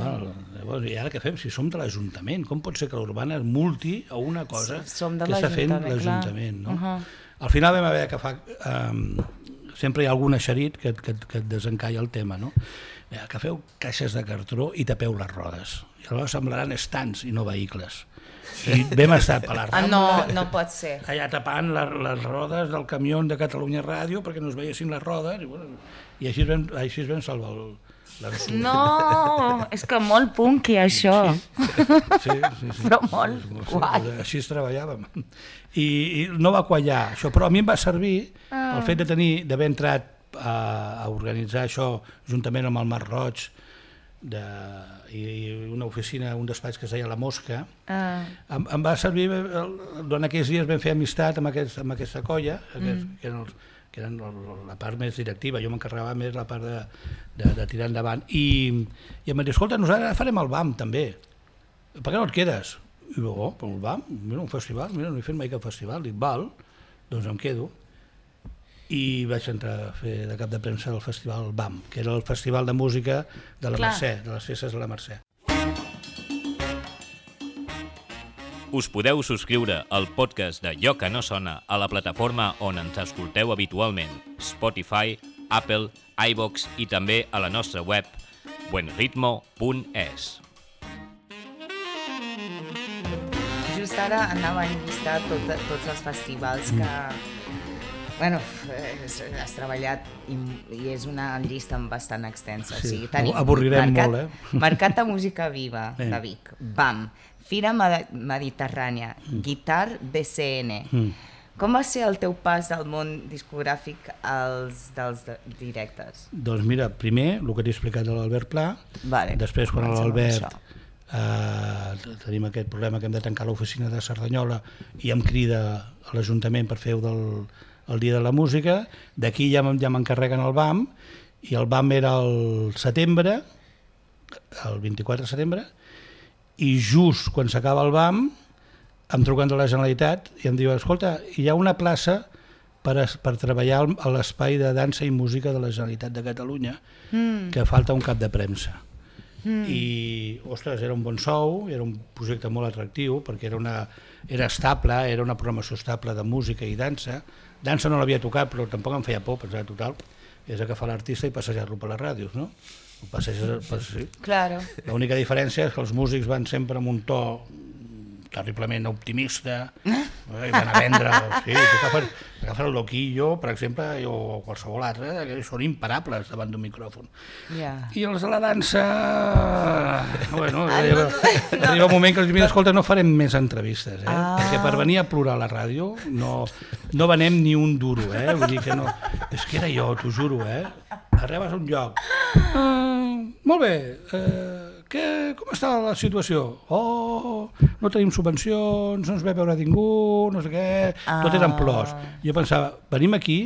Llavors, i ara què fem? Si som de l'Ajuntament, com pot ser que l'Urbana es multi a una cosa que està fent l'Ajuntament? Al final vam haver d'agafar... Sempre hi ha algun eixerit que et desencalla el tema, no? Agafeu caixes de cartró i tapeu les rodes. I llavors semblaran estants i no vehicles. I vam estar per la Rambla, no pot ser. Allà tapant les rodes del camió de Catalunya Ràdio perquè no es veiessin les rodes i així es vam salvar l'ensurt. No, és que molt punky això. Sí. Però molt guai. Així es treballàvem. I no va quallar això, però a mi em va servir el fet d'haver entrat a organitzar això juntament amb el Mar Roig, i una oficina, un despatx que es deia La Mosca. Em va servir, durant aquells dies vam fer amistat amb aquesta colla, que eren la part més directiva, jo m'encarregava més la part de tirar endavant, i em va dir, escolta, nosaltres farem el BAM també, per què no et quedes? I jo, però el BAM, mira, un festival, mira, no he fet mai cap festival, dic, val, doncs em quedo. I vaig entrar a fer de cap de premsa del festival BAM, que era el festival de música de la Mercè, de les festes de la Mercè. Us podeu subscriure al podcast de Allò que no sona a la plataforma on ens escolteu habitualment, Spotify, Apple, iVoox i també a la nostra web buenritmo.es. Just ara anava a llistar tots els festivals que... Bueno, has treballat i és una llista bastant extensa. Sí, o sigui, tenim avorrirem molt, Mercat de Música Viva de Vic, BAM, Fira Mediterrània, Guitar BCN. Com va ser el teu pas del món discogràfic als dels directes? Doncs mira, primer, el que t'he explicat de l'Albert Pla, després quan l'Albert tenim aquest problema que hem de tancar l'oficina de Cerdanyola i em crida a l'Ajuntament per fer el Dia de la Música, d'aquí ja m'encarreguen el BAM, i el BAM era el setembre, el 24 de setembre, i just quan s'acaba el BAM em truquen de la Generalitat i em diuen, escolta, hi ha una plaça per treballar a l'espai de dansa i música de la Generalitat de Catalunya, que falta un cap de premsa. I, ostres, era un bon sou, era un projecte molt atractiu, perquè era estable, era una programació estable de música i dansa. Dansa no l'havia tocat, però tampoc em feia por, pensava, total, és agafar l'artista i passejar-lo per les ràdios, no? Sí. Claro. L'única diferència és que els músics van sempre amb un to terriblement optimista, i van a vendre, sí, agafar el Loquillo, per exemple, o qualsevol altre, que són imparables davant d'un micròfon. I els de la dansa, bueno, arriba un moment que els diuen, escolta, no farem més entrevistes, perquè per venir a plorar a la ràdio no venem ni un duro, vull dir que no, és que era jo, t'ho juro, arribes a un lloc, molt bé, com està la situació? No tenim subvencions, no ens ve a veure ningú, no sé què, tot eren plors. Jo pensava, venim aquí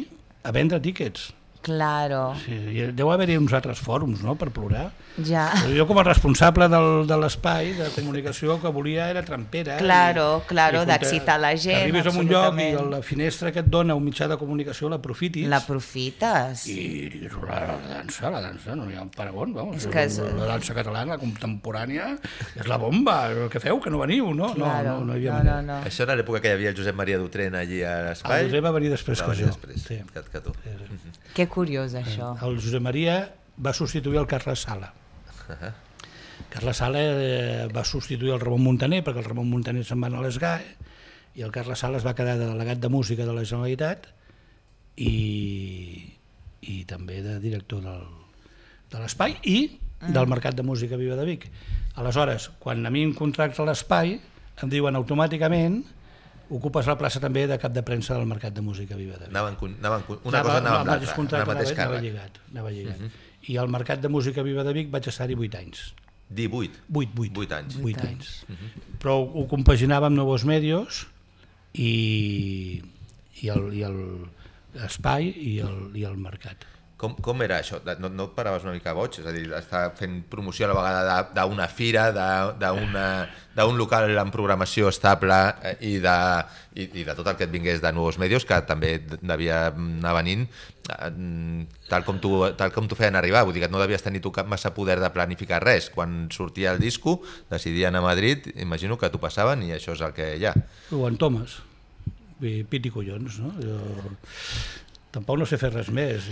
a vendre tíquets. Claro. Sí, deu haver-hi uns altres fòrums, no?, per plorar. Ja. Jo com a responsable de l'espai de comunicació que volia era trampera. Claro, d'excitar la gent. Arribes a un lloc i la finestra que et dona un mitjà de comunicació l'aprofitis. L'aprofites. I digues, la dansa, no hi ha un paragón, vamos. La dansa catalana, la contemporània, és la bomba. Què feu, que no veniu, no? No hi havia manera. Això era l'època que hi havia el Josep Maria Dutrent allí a l'espai? El Josep va venir després que jo. Que tu. Que curiós, això. El Josep Maria va substituir el Carles Sala. Carles Sala va substituir el Ramon Muntaner, perquè el Ramon Muntaner se'n va anar a l'ESGAE, i el Carles Sala es va quedar de delegat de música de la Generalitat i també de director de l'espai i del Mercat de Música Viva de Vic. Aleshores, quan a mi em contracta l'espai, em diuen automàticament ocupes la plaça també de cap de premsa del Mercat de Música Viva de Vic. Una cosa anava amb l'altra, el mateix càrrec. Anava lligat. I al Mercat de Música Viva de Vic vaig estar-hi 8 anys. 18? 8 anys. 8 anys. Però ho compaginava amb Nuevos Medios i l'espai i el mercat. Com era això? No et paraves una mica boig? És a dir, estar fent promoció a la vegada d'una fira, d'un local amb programació estable i de tot el que et vingués de Nuevos Medios, que també devia anar venint tal com t'ho feien arribar. Vull dir que no devies tenir tu cap massa poder de planificar res. Quan sortia el disco, decidien a Madrid, imagino que t'ho passaven i això és el que hi ha. O en Thomas, pit i collons, no? Tampoc no sé fer res més.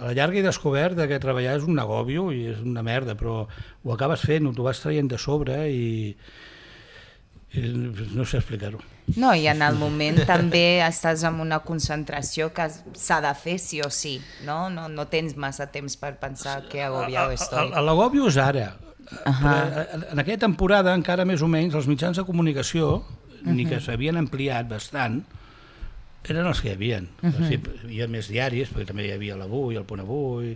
A la llarga he descobert que treballar és un agòbio i és una merda, però ho acabes fent, t'ho vas traient de sobre i no sé explicar-ho. No, i en el moment també estàs en una concentració que s'ha de fer sí o sí, no? No tens massa temps per pensar que agobiado estoy. L'agòbio és ara. En aquella temporada, encara més o menys, els mitjans de comunicació, ni que s'havien ampliat bastant, Eren els que hi havia. Hi havia més diaris, perquè també hi havia l'Avui, el Punt Avui,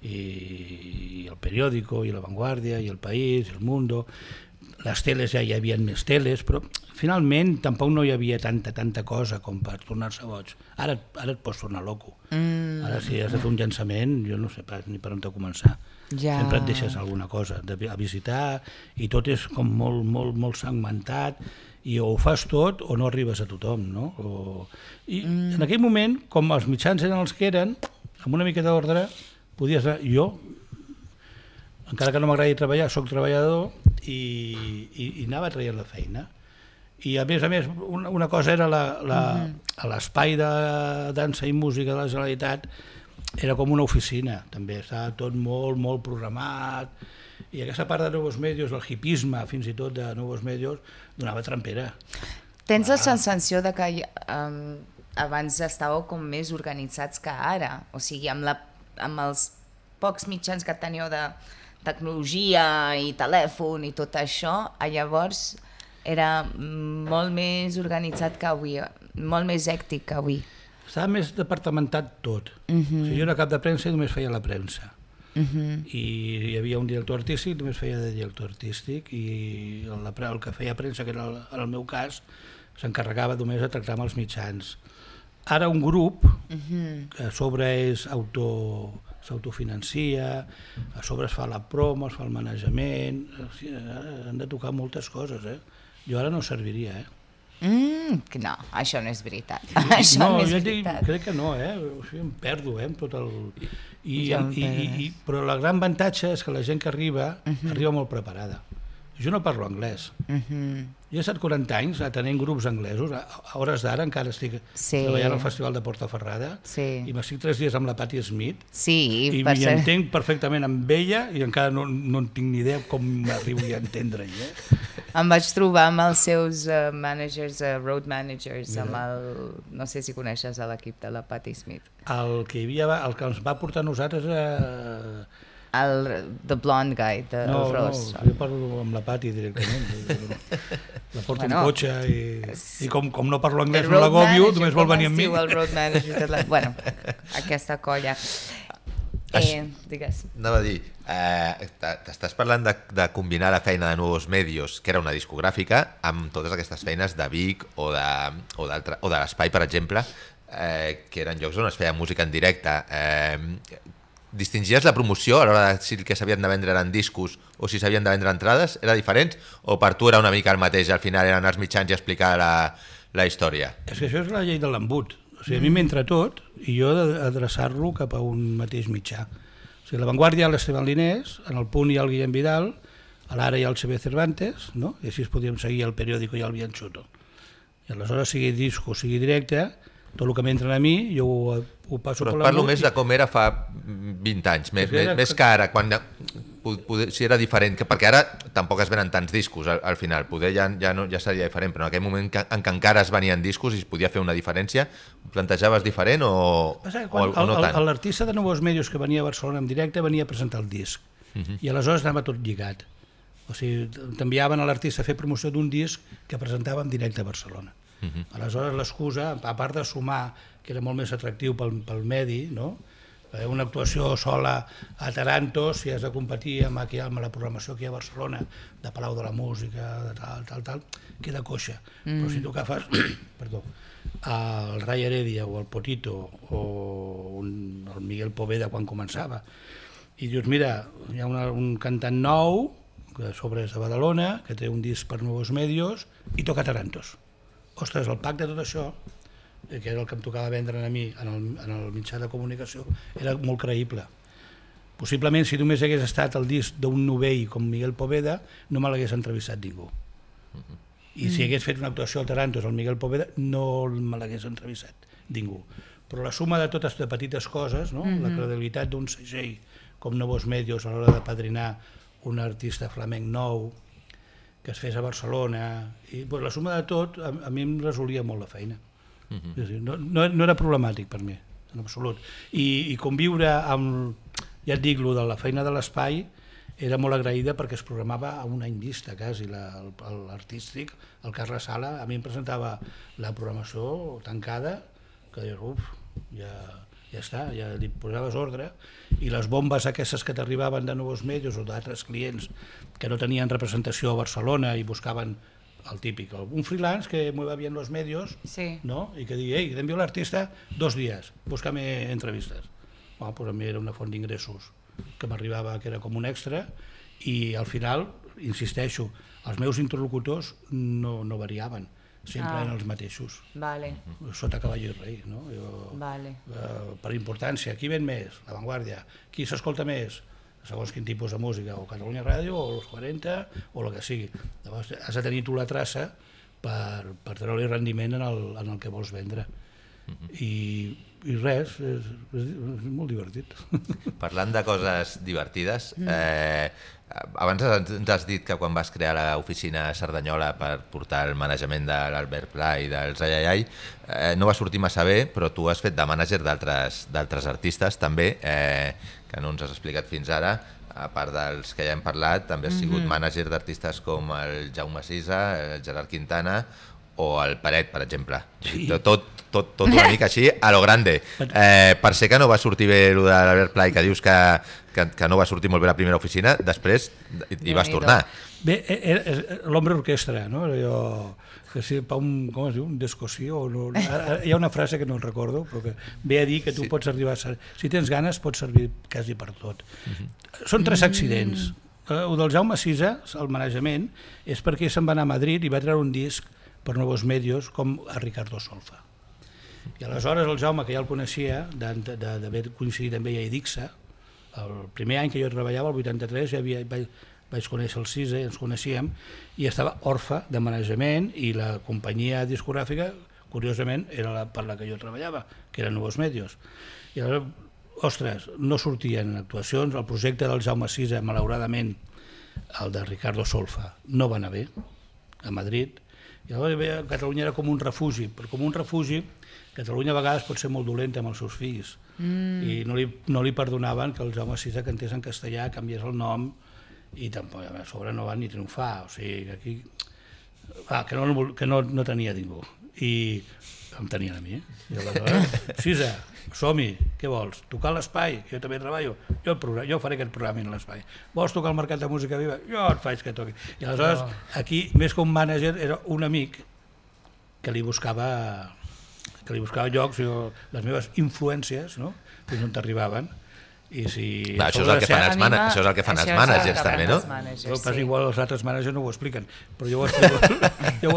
i el Periódico, i la Vanguardia, i el País, i el Mundo. Les teles ja hi havia més teles, però finalment tampoc no hi havia tanta cosa com per tornar-se boig. Ara et pots tornar loco. Ara si has de fer un llançament, jo no sé pas ni per on t'ho començar. Sempre et deixes alguna cosa a visitar i tot és com molt segmentat, i o ho fas tot o no arribes a tothom, no? I en aquell moment, com els mitjans eren els que eren, amb una mica d'ordre podies anar. Jo, encara que no m'agradi treballar, soc treballador i anava traient la feina. I a més, una cosa era l'espai de dansa i música de la Generalitat, era com una oficina, també estava tot molt programat, i aquesta part de Nuevos Medios, el hipisme fins i tot de Nuevos Medios, donava trampera. Tens la sensació de que abans estàveu com més organitzats que ara? O sigui, amb els pocs mitjans que teníeu de tecnologia i telèfon i tot això, llavors era molt més organitzat que avui, molt més hèctic que avui. Estava més departamentat tot. O sigui, jo era cap de premsa i només feia la premsa. I hi havia un director artístic, només feia de director artístic, i el que feia premsa, que era en el meu cas, s'encarregava només de tractar amb els mitjans. Ara un grup que a sobre s'autofinancia, a sobre es fa la promo, es fa el manejament, han de tocar moltes coses. Jo ara no serviria. No, això no és veritat. Això no és veritat. Crec que no, o sigui, em perdo amb tot el... Però el gran avantatge és que la gent que arriba molt preparada. Jo no parlo anglès. Jo he estat 40 anys atenent grups anglesos. A hores d'ara encara estic treballant al Festival de Portaferrada i m'estic 3 dies amb la Patti Smith i m'hi entenc perfectament amb ella i encara no en tinc ni idea com m'arribo a entendre-hi. Em vaig trobar amb els seus managers, road managers, no sé si coneixes l'equip de la Patti Smith. El que ens va portar a nosaltres The blonde guy, no, jo parlo amb la Patti directament. La porto en cotxe i com no parlo anglès no l'agòbio, només vol venir amb mi. El road manager, bueno, aquesta colla. Digues. Anava a dir, t'estàs parlant de combinar la feina de Nuevos Medios, que era una discogràfica, amb totes aquestes feines de Vic o de l'Espai, per exemple, que eren llocs on es feia música en directe. Distingies la promoció a l'hora de si el que s'havien de vendre eren discos o si s'havien de vendre entrades? Era diferent? O per tu era una mica el mateix? Al final eren els mitjans i explicar la història? És que això és la llei de l'embut. O sigui, a mi m'entra tot i jo he d'adreçar-lo cap a un mateix mitjà. O sigui, a la Vanguardia hi ha l'Esteban Linés, en el Punt hi ha el Guillem Vidal, a l'Ara hi ha el CB Cervantes, no? I així podíem seguir el Periódico i el Bianchuto. I aleshores, sigui disco, sigui directe, tot el que m'entren a mi, jo ho passo per la... Però parlo més de com era fa 20 anys, més que ara, quan si era diferent, perquè ara tampoc es venen tants discos al final, poder ja seria diferent, però en aquell moment en què encara es venien discos i es podia fer una diferència, ho plantejaves diferent o no tant? L'artista de Nuevos Medios que venia a Barcelona en directe venia a presentar el disc i aleshores anava tot lligat. O sigui, t'enviaven a l'artista a fer promoció d'un disc que presentava en directe a Barcelona. Aleshores l'excusa, a part de sumar, que era molt més atractiu pel medi, no? Una actuació sola a Taranto, si has de competir amb la programació aquí a Barcelona, de Palau de la Música, de tal, queda coixa. Però si tu agafes el Ray Heredia o el Potito o el Miguel Poveda quan començava, i dius, mira, hi ha un cantant nou, que sobre és de Badalona, que té un disc per Nuevos Medios, i toca Tarantos. Ostres, el pack de tot això, que era el que em tocava vendre a mi en el mitjà de comunicació, era molt creïble. Possiblement, si només hagués estat el disc d'un novell com Miguel Poveda, no me l'hagués entrevistat ningú. I si hagués fet una actuació al Tarantos al Miguel Poveda, no me l'hagués entrevistat ningú. Però la suma de totes les petites coses, no? La credibilitat d'un segell com Nuevos Medios a l'hora de padrinar un artista flamenc nou, que es fes a Barcelona, i la suma de tot a mi em resolia molt la feina. No era problemàtic per mi, en absolut. I conviure amb, ja et dic, de la feina de l'Espai era molt agraïda perquè es programava a un any vista, quasi, l'artístic, el Carles Sala, a mi em presentava la programació tancada que dius, ja està, ja li posaves ordre, i les bombes aquestes que t'arribaven de Nuevos Medios o d'altres clients que no tenien representació a Barcelona i buscaven el típic, un freelance que mueva bien los medios, ¿no? Y que diga, te envío l'artista 2 días, búscame entrevistes. Bueno, pues a mi era una font d'ingressos que m'arribava, que era com un extra, i al final, insisteixo, els meus interlocutors no variaven, sempre eren els mateixos, sota cavall i rei, no? Per importància, qui ven més? La Vanguardia. Qui s'escolta més? Segons quin tipus de música, o Catalunya Ràdio, o els 40, o el que sigui. Llavors has de tenir tu la traça per treure-li rendiment en el que vols vendre. I res, és molt divertit. Parlant de coses divertides, abans ens has dit que quan vas crear l'oficina a Cerdanyola per portar el manejament de l'Albert Pla i dels Ai, no va sortir massa bé, però tu has fet de mànager d'altres artistes també, que no ens has explicat fins ara. A part dels que ja hem parlat, també has sigut mànager d'artistes com el Jaume Sisa, el Gerard Quintana o el Peret, per exemple. Tot una mica així, a lo grande. Per ser que no va sortir bé el de l'Albert Pla i que dius que no va sortir molt bé la primera oficina, després hi vas tornar. Bé, l'hombre orquestra, no? Com es diu? Un descossió? Hi ha una frase que no recordo, però que ve a dir que tu pots arribar a ser... Si tens ganes, pots servir quasi per tot. Són 3 accidents. El del Jaume Sisa, el manejament, és perquè se'n va anar a Madrid i va treure un disc per Nuevos Medios com a Ricardo Solfa. I aleshores el Jaume, que ja el coneixia, d'haver coincidit amb ell a Edixa, el primer any que jo treballava, el 83, vaig conèixer el Sisa, ens coneixíem, i estava orfe de manejament, i la companyia discogràfica, curiosament, era per la que jo treballava, que era Nuevos Medios. I aleshores, ostres, no sortien actuacions, el projecte del Jaume Sisa, malauradament, el de Ricardo Solfa, no va anar bé, a Madrid, i llavors Catalunya era com un refugi, però com un refugi Catalunya a vegades pot ser molt dolenta amb els seus fills i no li perdonaven que el Jaume Sisa cantés en castellà, canviés el nom i tampoc a sobre no va ni triomfar, o sigui aquí que no tenia ningú i em tenien a mi. I aleshores, Sisa, som-hi, què vols? Tocar l'espai, que jo també treballo, jo faré aquest programa en l'espai. Vols tocar el Mercat de Música Viva? Jo et faig que toqui. I aleshores aquí, més que un mànager, era un amic que li buscava llocs, les meves influències, fins on t'arribaven. Això és el que fan els mànagers també, no? Igual els altres mànagers no ho expliquen, però jo ho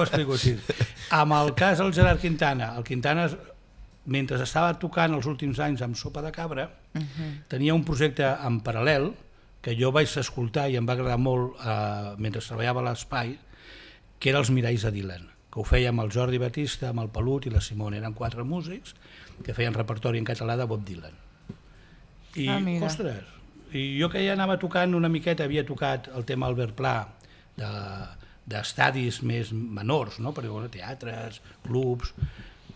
explico així. Amb el cas del Gerard Quintana, el Quintana, mentre estava tocant els últims anys amb Sopa de Cabra, tenia un projecte en paral·lel que jo vaig escoltar i em va agradar molt mentre treballava a l'Espai, que era els Miralls de Dylan, que ho feia amb el Jordi Batista, amb el Pelut i la Simone. Eren 4 músics que feien repertori en català de Bob Dylan. I, ostres, jo que ja anava tocant una miqueta, havia tocat el tema Albert Pla d'estadis més menors, per teatres, clubs,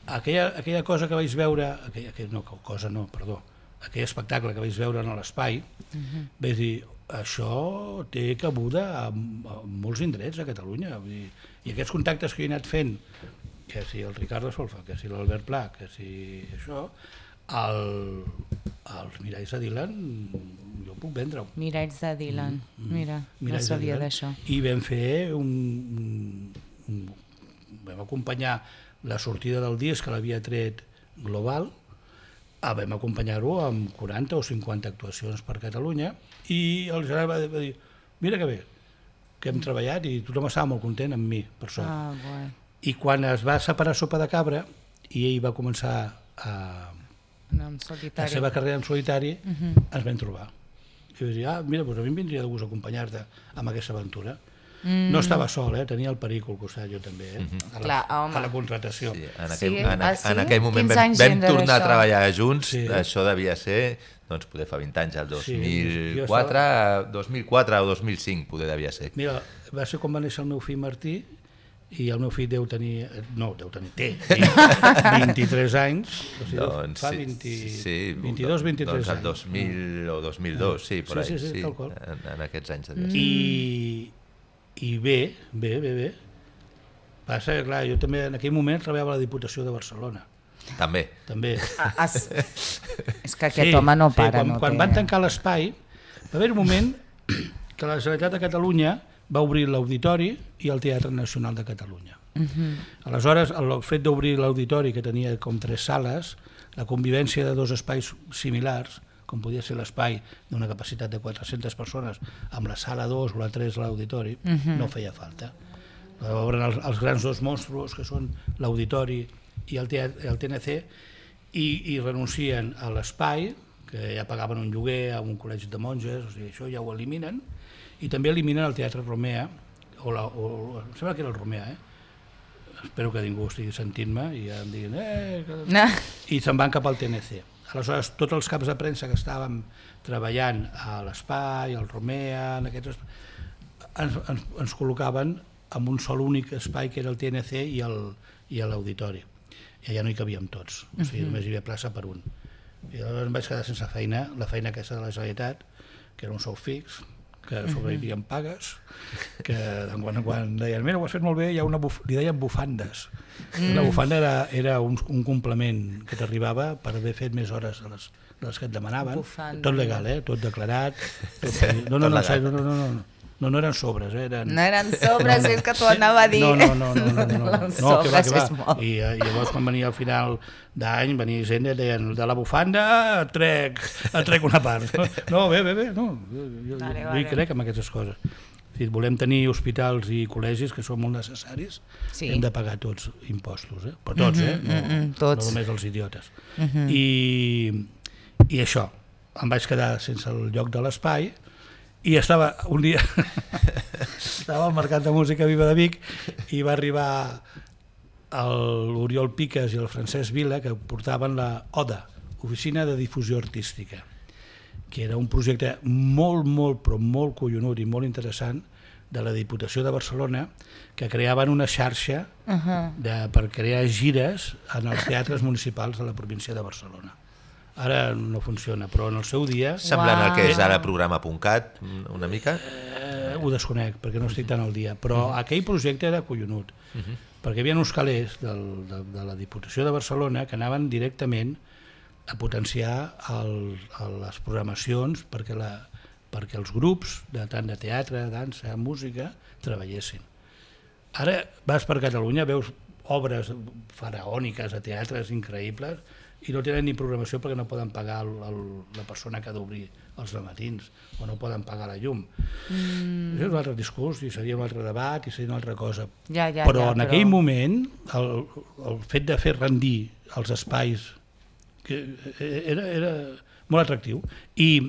aquella cosa que vaig veure, aquell espectacle que vaig veure en l'Espai, vaig dir, això té cabuda a molts indrets a Catalunya, i aquests contactes que he anat fent, que si el Ricardo Solfa, que si l'Albert Pla, que si això, els Miralls de Dylan jo puc vendre-ho. Miralls de Dylan, mira, no sabia d'això. I vam fer vam acompanyar la sortida del disc que l'havia tret Global, vam acompanyar-ho amb 40 o 50 actuacions per Catalunya, i el Gerard va dir, mira que bé, que hem treballat i tothom estava molt content amb mi, per sort. I quan es va separar Sopa de Cabra i ell va començar la seva carrera en solitari, ens vam trobar. I vaig dir, mira, a mi em vindria de gust acompanyar-te amb aquesta aventura. No estava sol, tenia el Perico al costat, jo també, a la contratació. En aquell moment vam tornar a treballar junts, això devia ser, doncs poder fa 20 anys, el 2004 o 2005 poder devia ser. Mira, va ser quan va néixer el meu fill Martí, i el meu fill té 23 anys, fa 22-23 anys. El 2000 o 2002, sí, per ahí, en aquests anys. I bé. Passa que, clar, jo també en aquell moment treballava a la Diputació de Barcelona. També. És que aquest home no para. Quan van tancar l'espai, va haver un moment que la Generalitat de Catalunya va obrir l'Auditori i el Teatre Nacional de Catalunya. Aleshores, el fet d'obrir l'Auditori, que tenia com 3 sales, la convivència de 2 espais similars, com podia ser l'espai d'una capacitat de 400 persones amb la sala 2 o la 3 a l'Auditori, no feia falta. Obren els grans 2 monstruos, que són l'Auditori i el TNC, i renuncien a l'espai, que ja pagaven un lloguer a un col·legi de monges, o sigui, això ja ho eliminen, i també eliminen el Teatre Romea, em sembla que era el Romea, espero que ningú estigui sentint-me i ja em diguin i se'n van cap al TNC. Aleshores, tots els caps de premsa que estàvem treballant a l'Espai, al Romea, en aquests, ens col·locaven en un sol únic espai, que era el TNC i l'Auditori. I allà no hi cabíem tots, o sigui, només hi havia plaça per un. I llavors em vaig quedar sense feina, la feina aquesta de la Generalitat, que era un sou fix, que sobrevivien pagues, que de quan en quan deien, mira, ho has fet molt bé, li deien bufandes. La bufanda era un complement que t'arribava per haver fet més hores de les que et demanaven. Tot legal, tot declarat. No eren sobres. No eren sobres, és que t'ho anava a dir. No, que va. I llavors quan venia al final d'any, venia gent i deien, de la bufanda et trec una part. No, bé, no, jo hi crec en aquestes coses. Volem tenir hospitals i col·legis que són molt necessaris, hem de pagar tots impostos, però tots, no només els idiotes. I això, em vaig quedar sense el lloc de l'espai i estava un dia al Mercat de Música Viva de Vic i va arribar l'Oriol Piques i el Francesc Vila, que portaven la ODA, Oficina de Difusió Artística, que era un projecte molt collonut i molt interessant de la Diputació de Barcelona, que creaven una xarxa per crear gires en els teatres municipals de la província de Barcelona. Ara no funciona, però en el seu dia... Semblant al que és ara programa.cat, una mica? Ho desconec, perquè no estic tan al dia, però aquell projecte era collonut, perquè hi havia uns calés de la Diputació de Barcelona que anaven directament a potenciar les programacions perquè els grups, tant de teatre, dansa, música, treballessin. Ara vas per Catalunya, veus obres faraòniques a teatres increïbles i no tenen ni programació perquè no poden pagar la persona que ha d'obrir els matins o no poden pagar la llum. Això és un altre discurs i seria un altre debat i seria una altra cosa. Però en aquell moment el fet de fer rendir els espais era molt atractiu i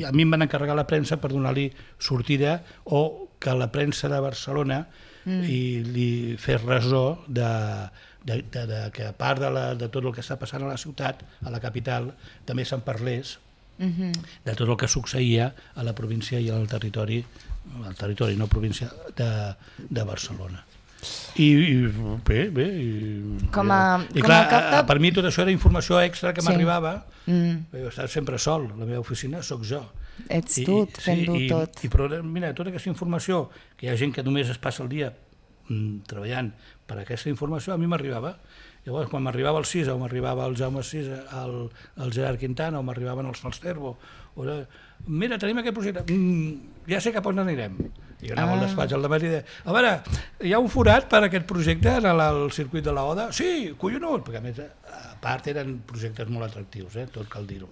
a mi em van encarregar la premsa per donar-li sortida o que la premsa de Barcelona li fes ressò que a part de tot el que està passant a la ciutat, a la capital, també se'n parlés de tot el que succeïa a la província i al territori, no província, de Barcelona. I bé, i clar, per mi tot això era informació extra que m'arribava. Jo estava sempre sol, a la meva oficina sóc jo. Ets tu fent-ho tot. Però mira, tota aquesta informació, que hi ha gent que només es passa el dia treballant per aquesta informació, a mi m'arribava. Llavors, quan m'arribava el Cisa, o m'arribava el Jaume Cisa, el Gerard Quintana, o m'arribaven els Falsterbo, mira, tenim aquest projecte, ja sé cap on anirem. I jo anava al despatx al debat i deia, a veure, hi ha un forat per a aquest projecte en el circuit de la ODA? Sí, collonut, perquè a més, a part eren projectes molt atractius, tot cal dir-ho.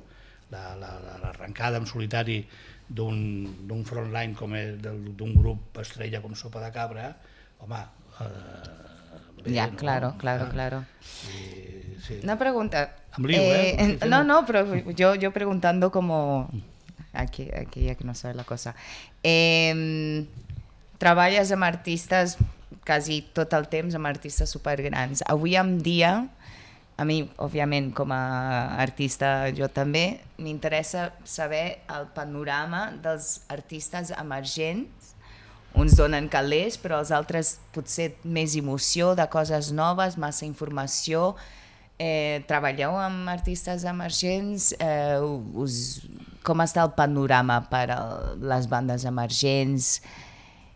L'arrencada en solitari d'un frontline com d'un grup estrella com Sopa de Cabra, home... Ya, claro. Una pregunta. No, pero yo preguntando como... Aquí que no sabe la cosa. Treballes amb artistes quasi tot el temps, amb artistes supergrans. Avui en dia, a mi, òbviament, com a artista, jo també, m'interessa saber el panorama dels artistes emergents. Uns donen calés, però els altres potser més emoció, de coses noves, massa informació. Treballeu amb artistes emergents? Com està el panorama per a les bandes emergents?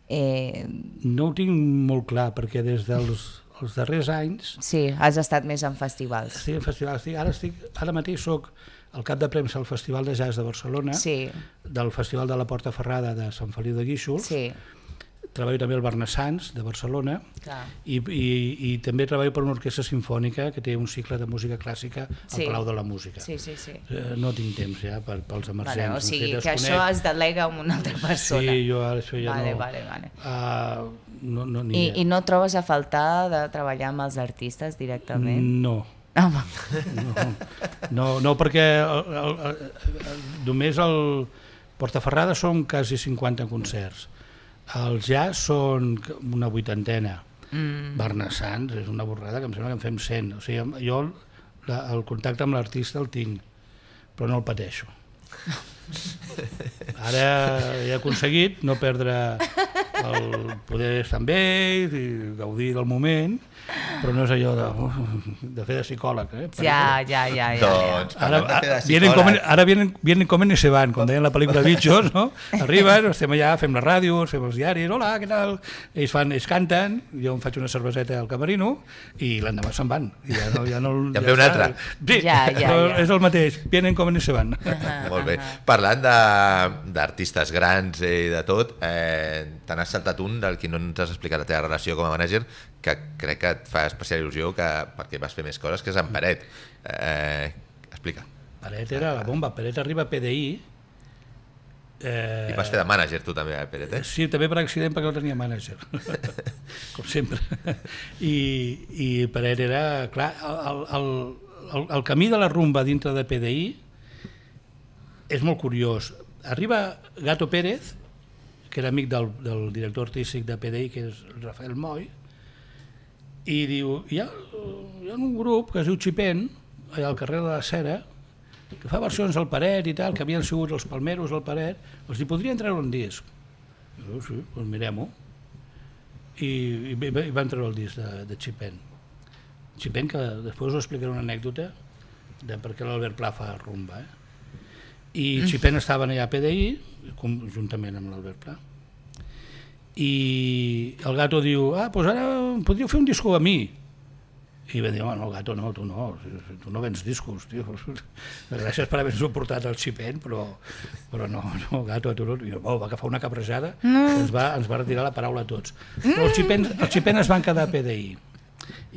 No ho tinc molt clar, perquè des dels els darrers anys... Sí, has estat més en festivals. Sí, en festivals. Ara mateix soc el cap de premsa al Festival de Jazz de Barcelona, del Festival de la Porta Ferrada de Sant Feliu de Guíxols, treballo també al Barnassans de Barcelona i també treballo per una orquestra sinfònica que té un cicle de música clàssica al Palau de la Música. No tinc temps ja pels emergents. O sigui, que això es delega amb una altra persona. Sí, jo ara això ja no. I no trobes a faltar de treballar amb els artistes directament? No. No, perquè només al Portaferrada són quasi 50 concerts. Els jazz són una 80. Barnassans és una borrada que em sembla que en fem 100. O sigui, jo el contacte amb l'artista el tinc, però no el pateixo. Ara he aconseguit no perdre el poder estar amb ells i gaudir del moment, però no és allò de fer de psicòleg. Ja. Doncs, parlant de fer de psicòleg... Ara vienen, comen i se van, com deien la pel·lícula Bitxos, no? Arriben, estem allà, fem la ràdio, fem els diaris, hola, què tal? Ells canten, jo em faig una cerveseta al camerino i l'endemà se'n van. Ja en ve un altre. Sí, és el mateix, vienen, comen i se van. Molt bé. Parlant d'artistes grans i de tot, te n'has saltat un del que no ens has explicat la teva relació com a mànager, que crec que et fa especial il·lusió perquè vas fer més coses, que és en Peret. Explica. Peret era la bomba. Peret arriba a PDI. I vas fer de mànager tu també, Peret, eh? Sí, també per accident perquè no tenia mànager, com sempre. I Peret era... Clar, el camí de la rumba dintre de PDI és molt curiós. Arriba Gato Pérez, que era amic del director artístic de PDI, que és Rafael Moy, i diu, hi ha un grup que es diu Xipen, allà al carrer de la Cera, que fa versions al Peret i tal, que havien sigut els Palmeros al Peret, els hi podrien treure un disc. Jo, sí, doncs mirem-ho. I van treure el disc de Xipen. Xipen, que després us explicaré una anècdota de per què l'Albert Pla fa rumba. I Xipen estaven allà a PDI, juntament amb l'Albert Pla. I el Gato diu, doncs ara podríeu fer un disco a mi. I va dir, no, Gato, no, tu no vens discos, tio. Gràcies per haver-nos portat el Xipen, però no, Gato, tu no. I va agafar una cabrejada que ens va retirar la paraula a tots. Però el Xipen es van quedar a PDI.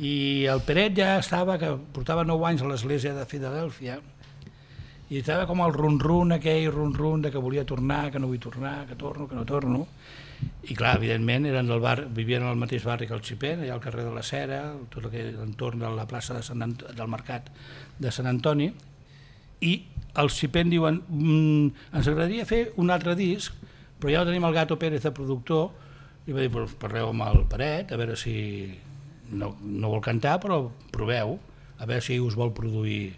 I el Peret ja estava, que portava 9 anys a l'església de Filadèlfia, i estava com el ron-ron aquell, ron-ron de que volia tornar, que no vull tornar, que torno, que no torno. I clar, evidentment, vivien al mateix barri que el Xipen, allà al carrer de la Cera, tot l'entorn de la plaça del Mercat de Sant Antoni, i els Xipen diuen, ens agradaria fer un altre disc, però ja tenim el Gato Pérez de productor, i va dir, parleu amb el Peret, a veure si no vol cantar, però proveu, a veure si us vol produir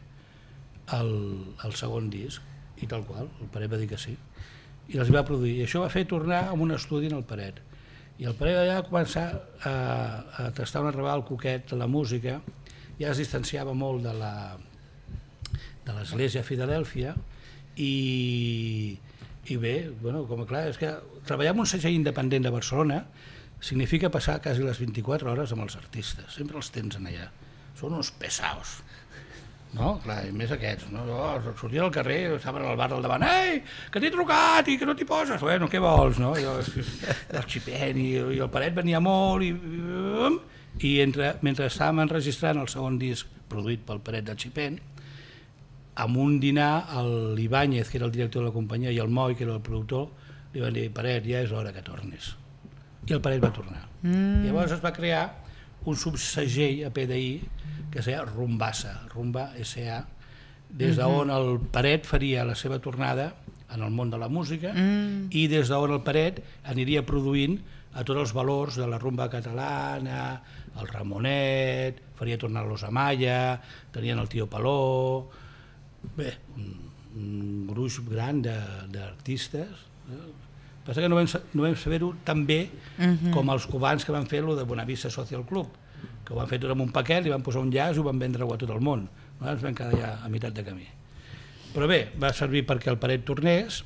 el segon disc, i tal qual, el Peret va dir que sí. I els va produir, i això va fer tornar a un estudi en el Peret. I el Peret allà va començar a tastar una rebada al coquet de la música, ja es distanciava molt de l'església a Filadèlfia, i bé, com clar, és que treballar en un segell independent de Barcelona significa passar quasi les 24 hores amb els artistes, sempre els tens allà, són uns pesaos. No? Clar, i més aquests, no? Sortien al carrer, estaven al bar del davant, ei, que t'he trucat i que no t'hi poses, bueno, què vols, no? El Xipen i el Peret venia molt i mentre estàvem enregistrant el segon disc produït pel Peret del Xipen, amb un dinar, l'Ibáñez, que era el director de la companyia, i el Moy, que era el productor, li van dir, Peret, ja és hora que tornis. I el Peret va tornar. Llavors es va crear un subsegell a PDI que es deia Rumbassa, Rumba S.A., des d'on el Peret faria la seva tornada en el món de la música i des d'on el Peret aniria produint a tots els valors de la rumba catalana, el Ramonet, faria tornar los Amaya, tenien el Tio Paló, bé, un gruix gran d'artistes. Passa que no vam saber-ho tan bé com els cubans que van fer-lo de Bonavista Social Club, que ho van fer tot amb un paquet, li van posar un llaç i ho van vendre-ho a tot el món. Ens vam quedar ja a meitat de camí. Però bé, va servir perquè el Peret tornés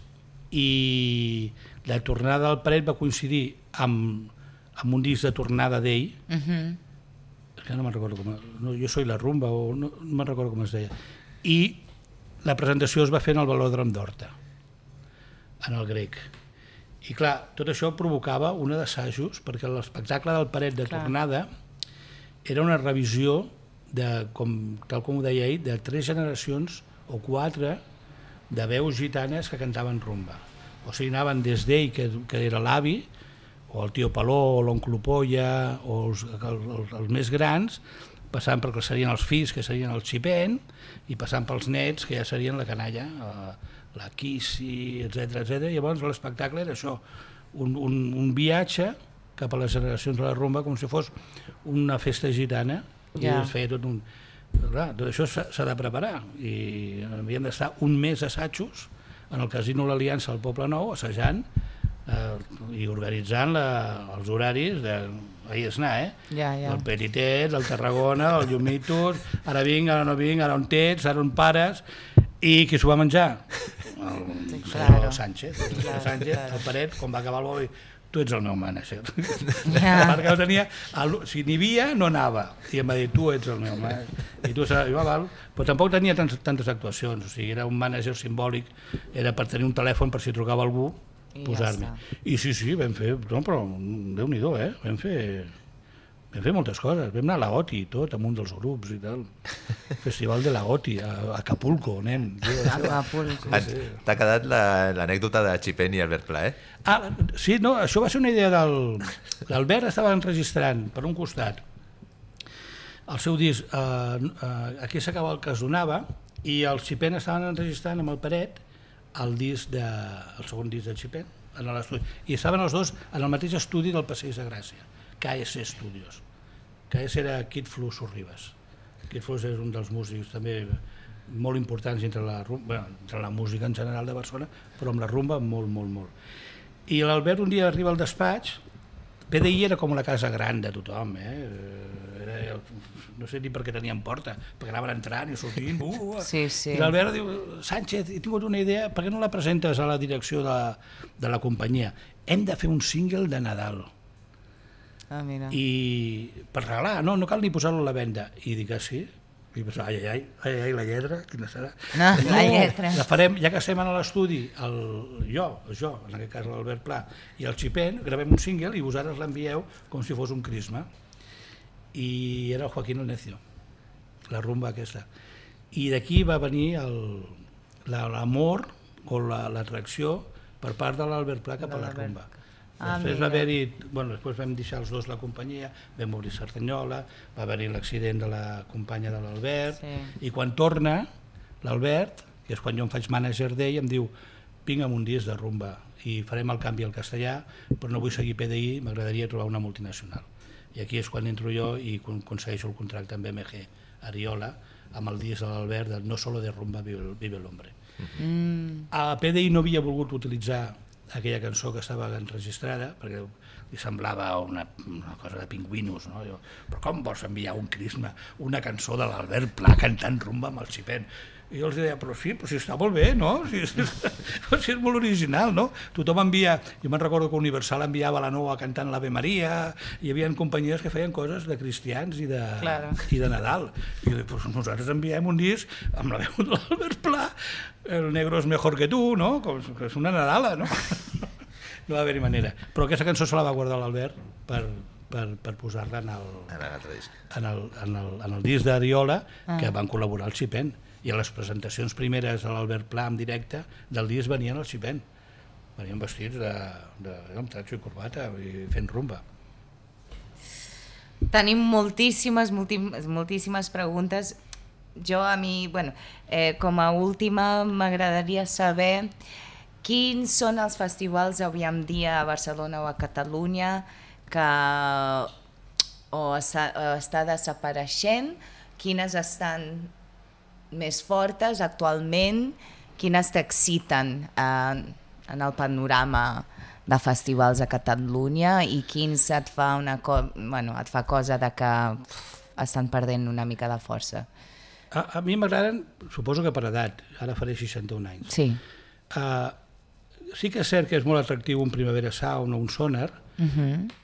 i la tornada del Peret va coincidir amb un disc de tornada d'ell que no me'n recordo com... No, jo soy la rumba, o no me'n recordo com es deia. I la presentació es va fer en el Velòdrom d'Horta, en el Grec. I clar, tot això provocava una d'assajos, perquè l'espectacle del Paret de tornada era una revisió, tal com ho deia ell, de 3 generacions o 4 de veus gitanes que cantaven rumba. O sigui, anaven des d'ell, que era l'avi, o el tio Paló, o l'oncle Polla, o els més grans, passant perquè serien els fills, que serien el Xipén, i passant pels nets, que ja serien la canalla, la Quissi, etc. Llavors l'espectacle era això, un viatge cap a les generacions de la rumba, com si fos una festa gitana, i es feia tot un... Clar, tot això s'ha de preparar, i havíem d'estar un mes d'assajos en el Casino l'Aliança al Poble Nou, assajant i organitzant els horaris ahir és anar, el Petitet, el Tarragona, el Llumitos, ara vinc, ara no vinc, ara on tens, ara on pares, i qui s'ho va menjar? El Sánchez, el Paret, quan va acabar el bol, tu ets el meu mànager. Perquè no tenia, si n'hi havia, no anava, i em va dir, tu ets el meu mànager. Però tampoc tenia tantes actuacions, o sigui, era un mànager simbòlic, era per tenir un telèfon per si trucava algú, posar-me. I sí, vam fer, no, però Déu-n'hi-do, vam fer moltes coses, vam anar a la OTI tot, amb un dels grups i tal, Festival de la OTI, a Acapulco, nen. Acapulco. T'ha quedat l'anècdota de Xipén i Albert Pla, Sí, no, això va ser una idea l'Albert estava enregistrant per un costat el seu disc, aquí s'acaba el que es donava, i el Xipén estaven enregistrant amb el Paret el segon disc de Xipén, i estaven els dos en el mateix estudi del Passeig de Gràcia, KS Studios. KS era Kid Flu Sorribas. Kid Flu és un dels músics també molt importants entre la música en general de Barcelona, però amb la rumba molt, molt, molt. I l'Albert un dia arriba al despatx, PDI era com la casa gran de tothom, no sé ni per què tenien porta, perquè anaven entrant i sortint, i l'Albert diu, Sánchez, he tingut una idea, per què no la presentes a la direcció de la companyia? Hem de fer un single de Nadal. I per regalar, no cal ni posar-lo a la venda. I dic, sí? I pensava, ai, la lletra, quina serà? La lletra. La farem, ja que estem a l'estudi, jo, en aquest cas l'Albert Pla, i el Xipén, gravem un single i vosaltres l'envieu com si fos un crisma. I era el Joaquín el Necio, la rumba aquesta. I d'aquí va venir l'amor o l'atracció per part de l'Albert Pla cap a la rumba. Després va haver-hi, després vam deixar els dos la companyia, vam obrir Cerdanyola, va haver-hi l'accident de la companya de l'Albert, i quan torna l'Albert, que és quan jo em faig mànager d'ell, em diu, vinc amb un disc de rumba i farem el canvi al castellà, però no vull seguir PDI, m'agradaria trobar una multinacional. I aquí és quan entro jo i aconsegueixo el contracte amb BMG Ariola, amb el disc de l'Albert de No solo de rumba vive l'hombre. A PDI no havia volgut utilitzar aquella cançó que estava enregistrada, perquè li semblava una cosa de pingüinos, no? Però com vols enviar un crisma, una cançó de l'Albert Pla cantant rumba amb el Xipén? I jo els deia, però sí, està molt bé, no? Si és molt original, no? Tothom envia, jo me'n recordo que Universal enviava la Noa cantant l'Ave Maria, hi havia companyies que feien coses de cristians i de Nadal. I jo dic, pues nosaltres enviem un disc amb la veu de l'Albert Pla, El negro es mejor que tu, no? Que és una Nadala, no? No va haver-hi manera. Però aquesta cançó se la va guardar l'Albert per posar-la en el disc d'Ariola, que van col·laborar el Xipén. I a les presentacions primeres de l'Albert Pla en directe del disc venien el Xipén. Venien vestits amb tratxo i corbata i fent rumba. Tenim moltíssimes preguntes. Com a última m'agradaria saber quins són els festivals avui en dia a Barcelona o a Catalunya que està desapareixent, quines estan més fortes actualment, quines t'exciten en el panorama de festivals a Catalunya i quins et fa cosa de que estan perdent una mica de força. A mi m'agraden, suposo que per edat, ara faré 61 anys. Sí. Sí que és cert que és molt atractiu un Primavera Sound o un Sonar,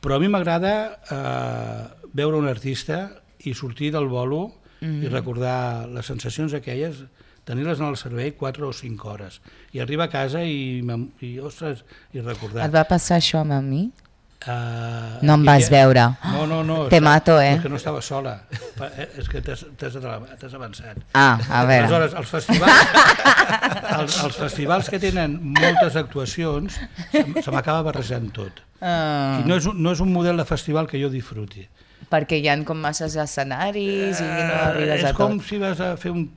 però a mi m'agrada veure un artista i sortir del bolo i recordar les sensacions aquelles, tenir-les en el cervell 4 o 5 hores. I arribar a casa i ostres, i recordar. Et va passar això amb mi? No em vas veure. No. Te mato, És que no estava sola. És que t'has avançat. A veure. Aleshores, els festivals que tenen moltes actuacions, se m'acaba barrejant tot. I no és un model de festival que jo disfruti. Perquè hi ha com masses escenaris i no arribes a tot. És com si vas a fer un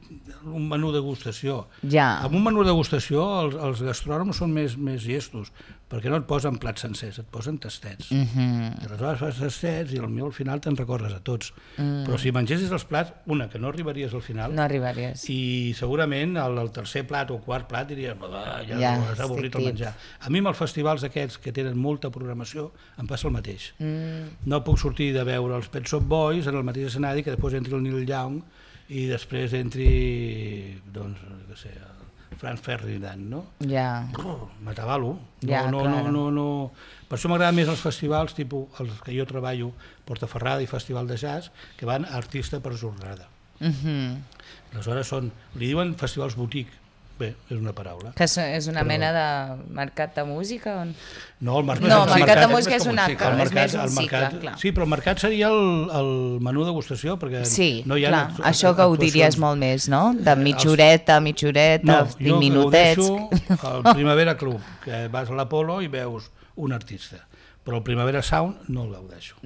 menú degustació. Ja. Amb un menú degustació els gastrònoms són més llestos, perquè no et posen plats sencers, et posen tastets. I aleshores fas tastets i potser al final te'n recorres a tots. Però si mengessis els plats, que no arribaries al final. No arribaries. I segurament el tercer plat o quart plat diries ja has avorrit el menjar. A mi amb els festivals aquests que tenen molta programació em passa el mateix. No puc sortir de veure els Pet Shop Boys en el mateix escenari que després entri el Neil Young i després entri, doncs, què sé, Franz Ferdinand, no? Ja. M'atabalo. No. Per això m'agraden més els festivals tipus els que jo treballo, Portaferrada i Festival de Jazz, que van artista per jornada. Aleshores li diuen festivals boutique. Bé, és una paraula. Que és una mena de mercat de música? No, el mercat de música és un més un cicle, clar. Sí, però el mercat seria el menú degustació, perquè no hi ha... Sí, clar, això gaudiries molt més, no? De mitjoreta, 20 minutets. No, jo gaudeixo al Primavera Club, que vas a l'Apolo i veus un artista, però el Primavera Sound no el gaudeixo.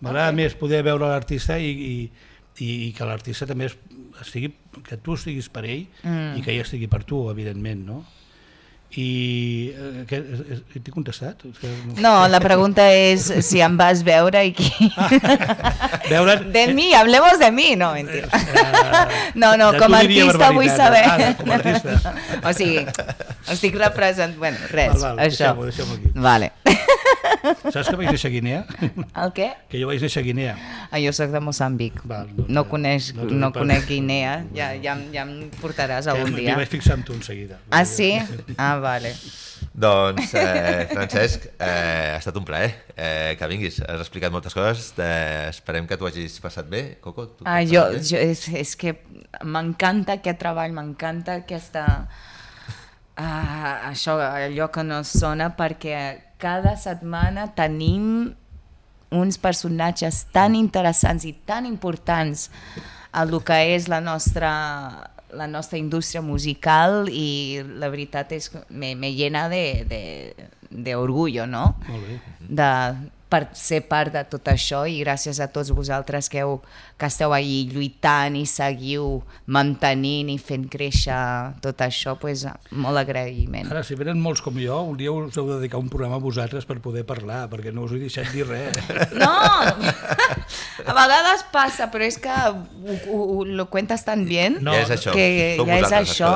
M'agrada més poder veure l'artista i que l'artista també que tu estiguis per ell i que ell estigui per tu, evidentment, no? I t'he contestat? No, la pregunta és si em vas veure i qui... De mi, hablemos de mi, no, mentira. No, com a artista vull saber. Com a artista. O sigui, estic representant... Bueno, res, això. Deixem-ho aquí. Vale. Saps que vaig néixer a Guinea? El què? Que jo vaig néixer a Guinea. Jo soc de Moçambic. No conec Guinea, ja em portaràs algun dia. M'hi vaig fixar amb tu en seguida. Ah, sí? Ah, vale. Doncs, Francesc, ha estat un plaer que vinguis. Has explicat moltes coses. Esperem que t'ho hagis passat bé, Coco. És que m'encanta aquest treball, m'encanta aquesta... això, allò que no sona, perquè cada setmana tenim uns personatges tan interessants i tan importants a el que és la nostra indústria musical, i la veritat és que me llena de orgullo, no? Molt bé. Per ser part de tot això, i gràcies a tots vosaltres que esteu ahí lluitant i seguiu mantenint i fent créixer tot això, doncs molt agraïment. Ara, si venen molts com jo, un dia us heu de dedicar un programa a vosaltres per poder parlar, perquè no us he deixat dir res. No! A vegades passa, però és que lo cuentes tan bien que ja és això.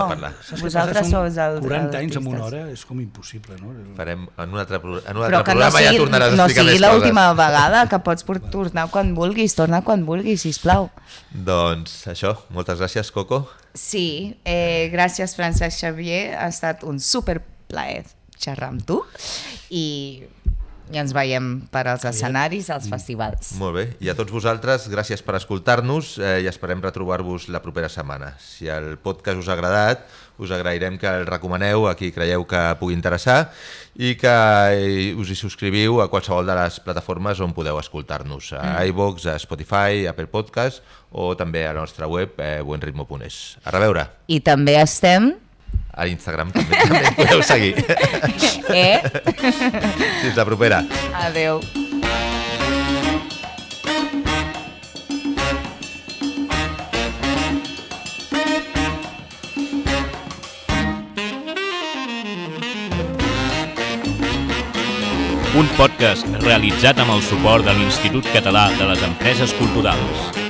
Vosaltres sou els 40 anys en una hora és com impossible, no? Farem en un altre programa ja tornaràs a explicar més coses. L'última vegada, que pots tornar quan vulguis, torna quan vulguis, sisplau. Doncs això, moltes gràcies, Coco. Sí, gràcies, Francesc Xavier, ha estat un superplaer xerrar amb tu i ens veiem per als escenaris, als festivals. Molt bé, i a tots vosaltres, gràcies per escoltar-nos i esperem retrobar-vos la propera setmana. Si el podcast us ha agradat, us agrairem que el recomaneu a qui creieu que pugui interessar i que us hi subscriviu a qualsevol de les plataformes on podeu escoltar-nos, a iVoox, a Spotify, a Apple Podcast o també a la nostra web buenritmo.es. A reveure! I també estem... A l'Instagram també podeu seguir. Fins la propera. Adeu. Un podcast realitzat amb el suport de l'Institut Català de les Empreses Culturals.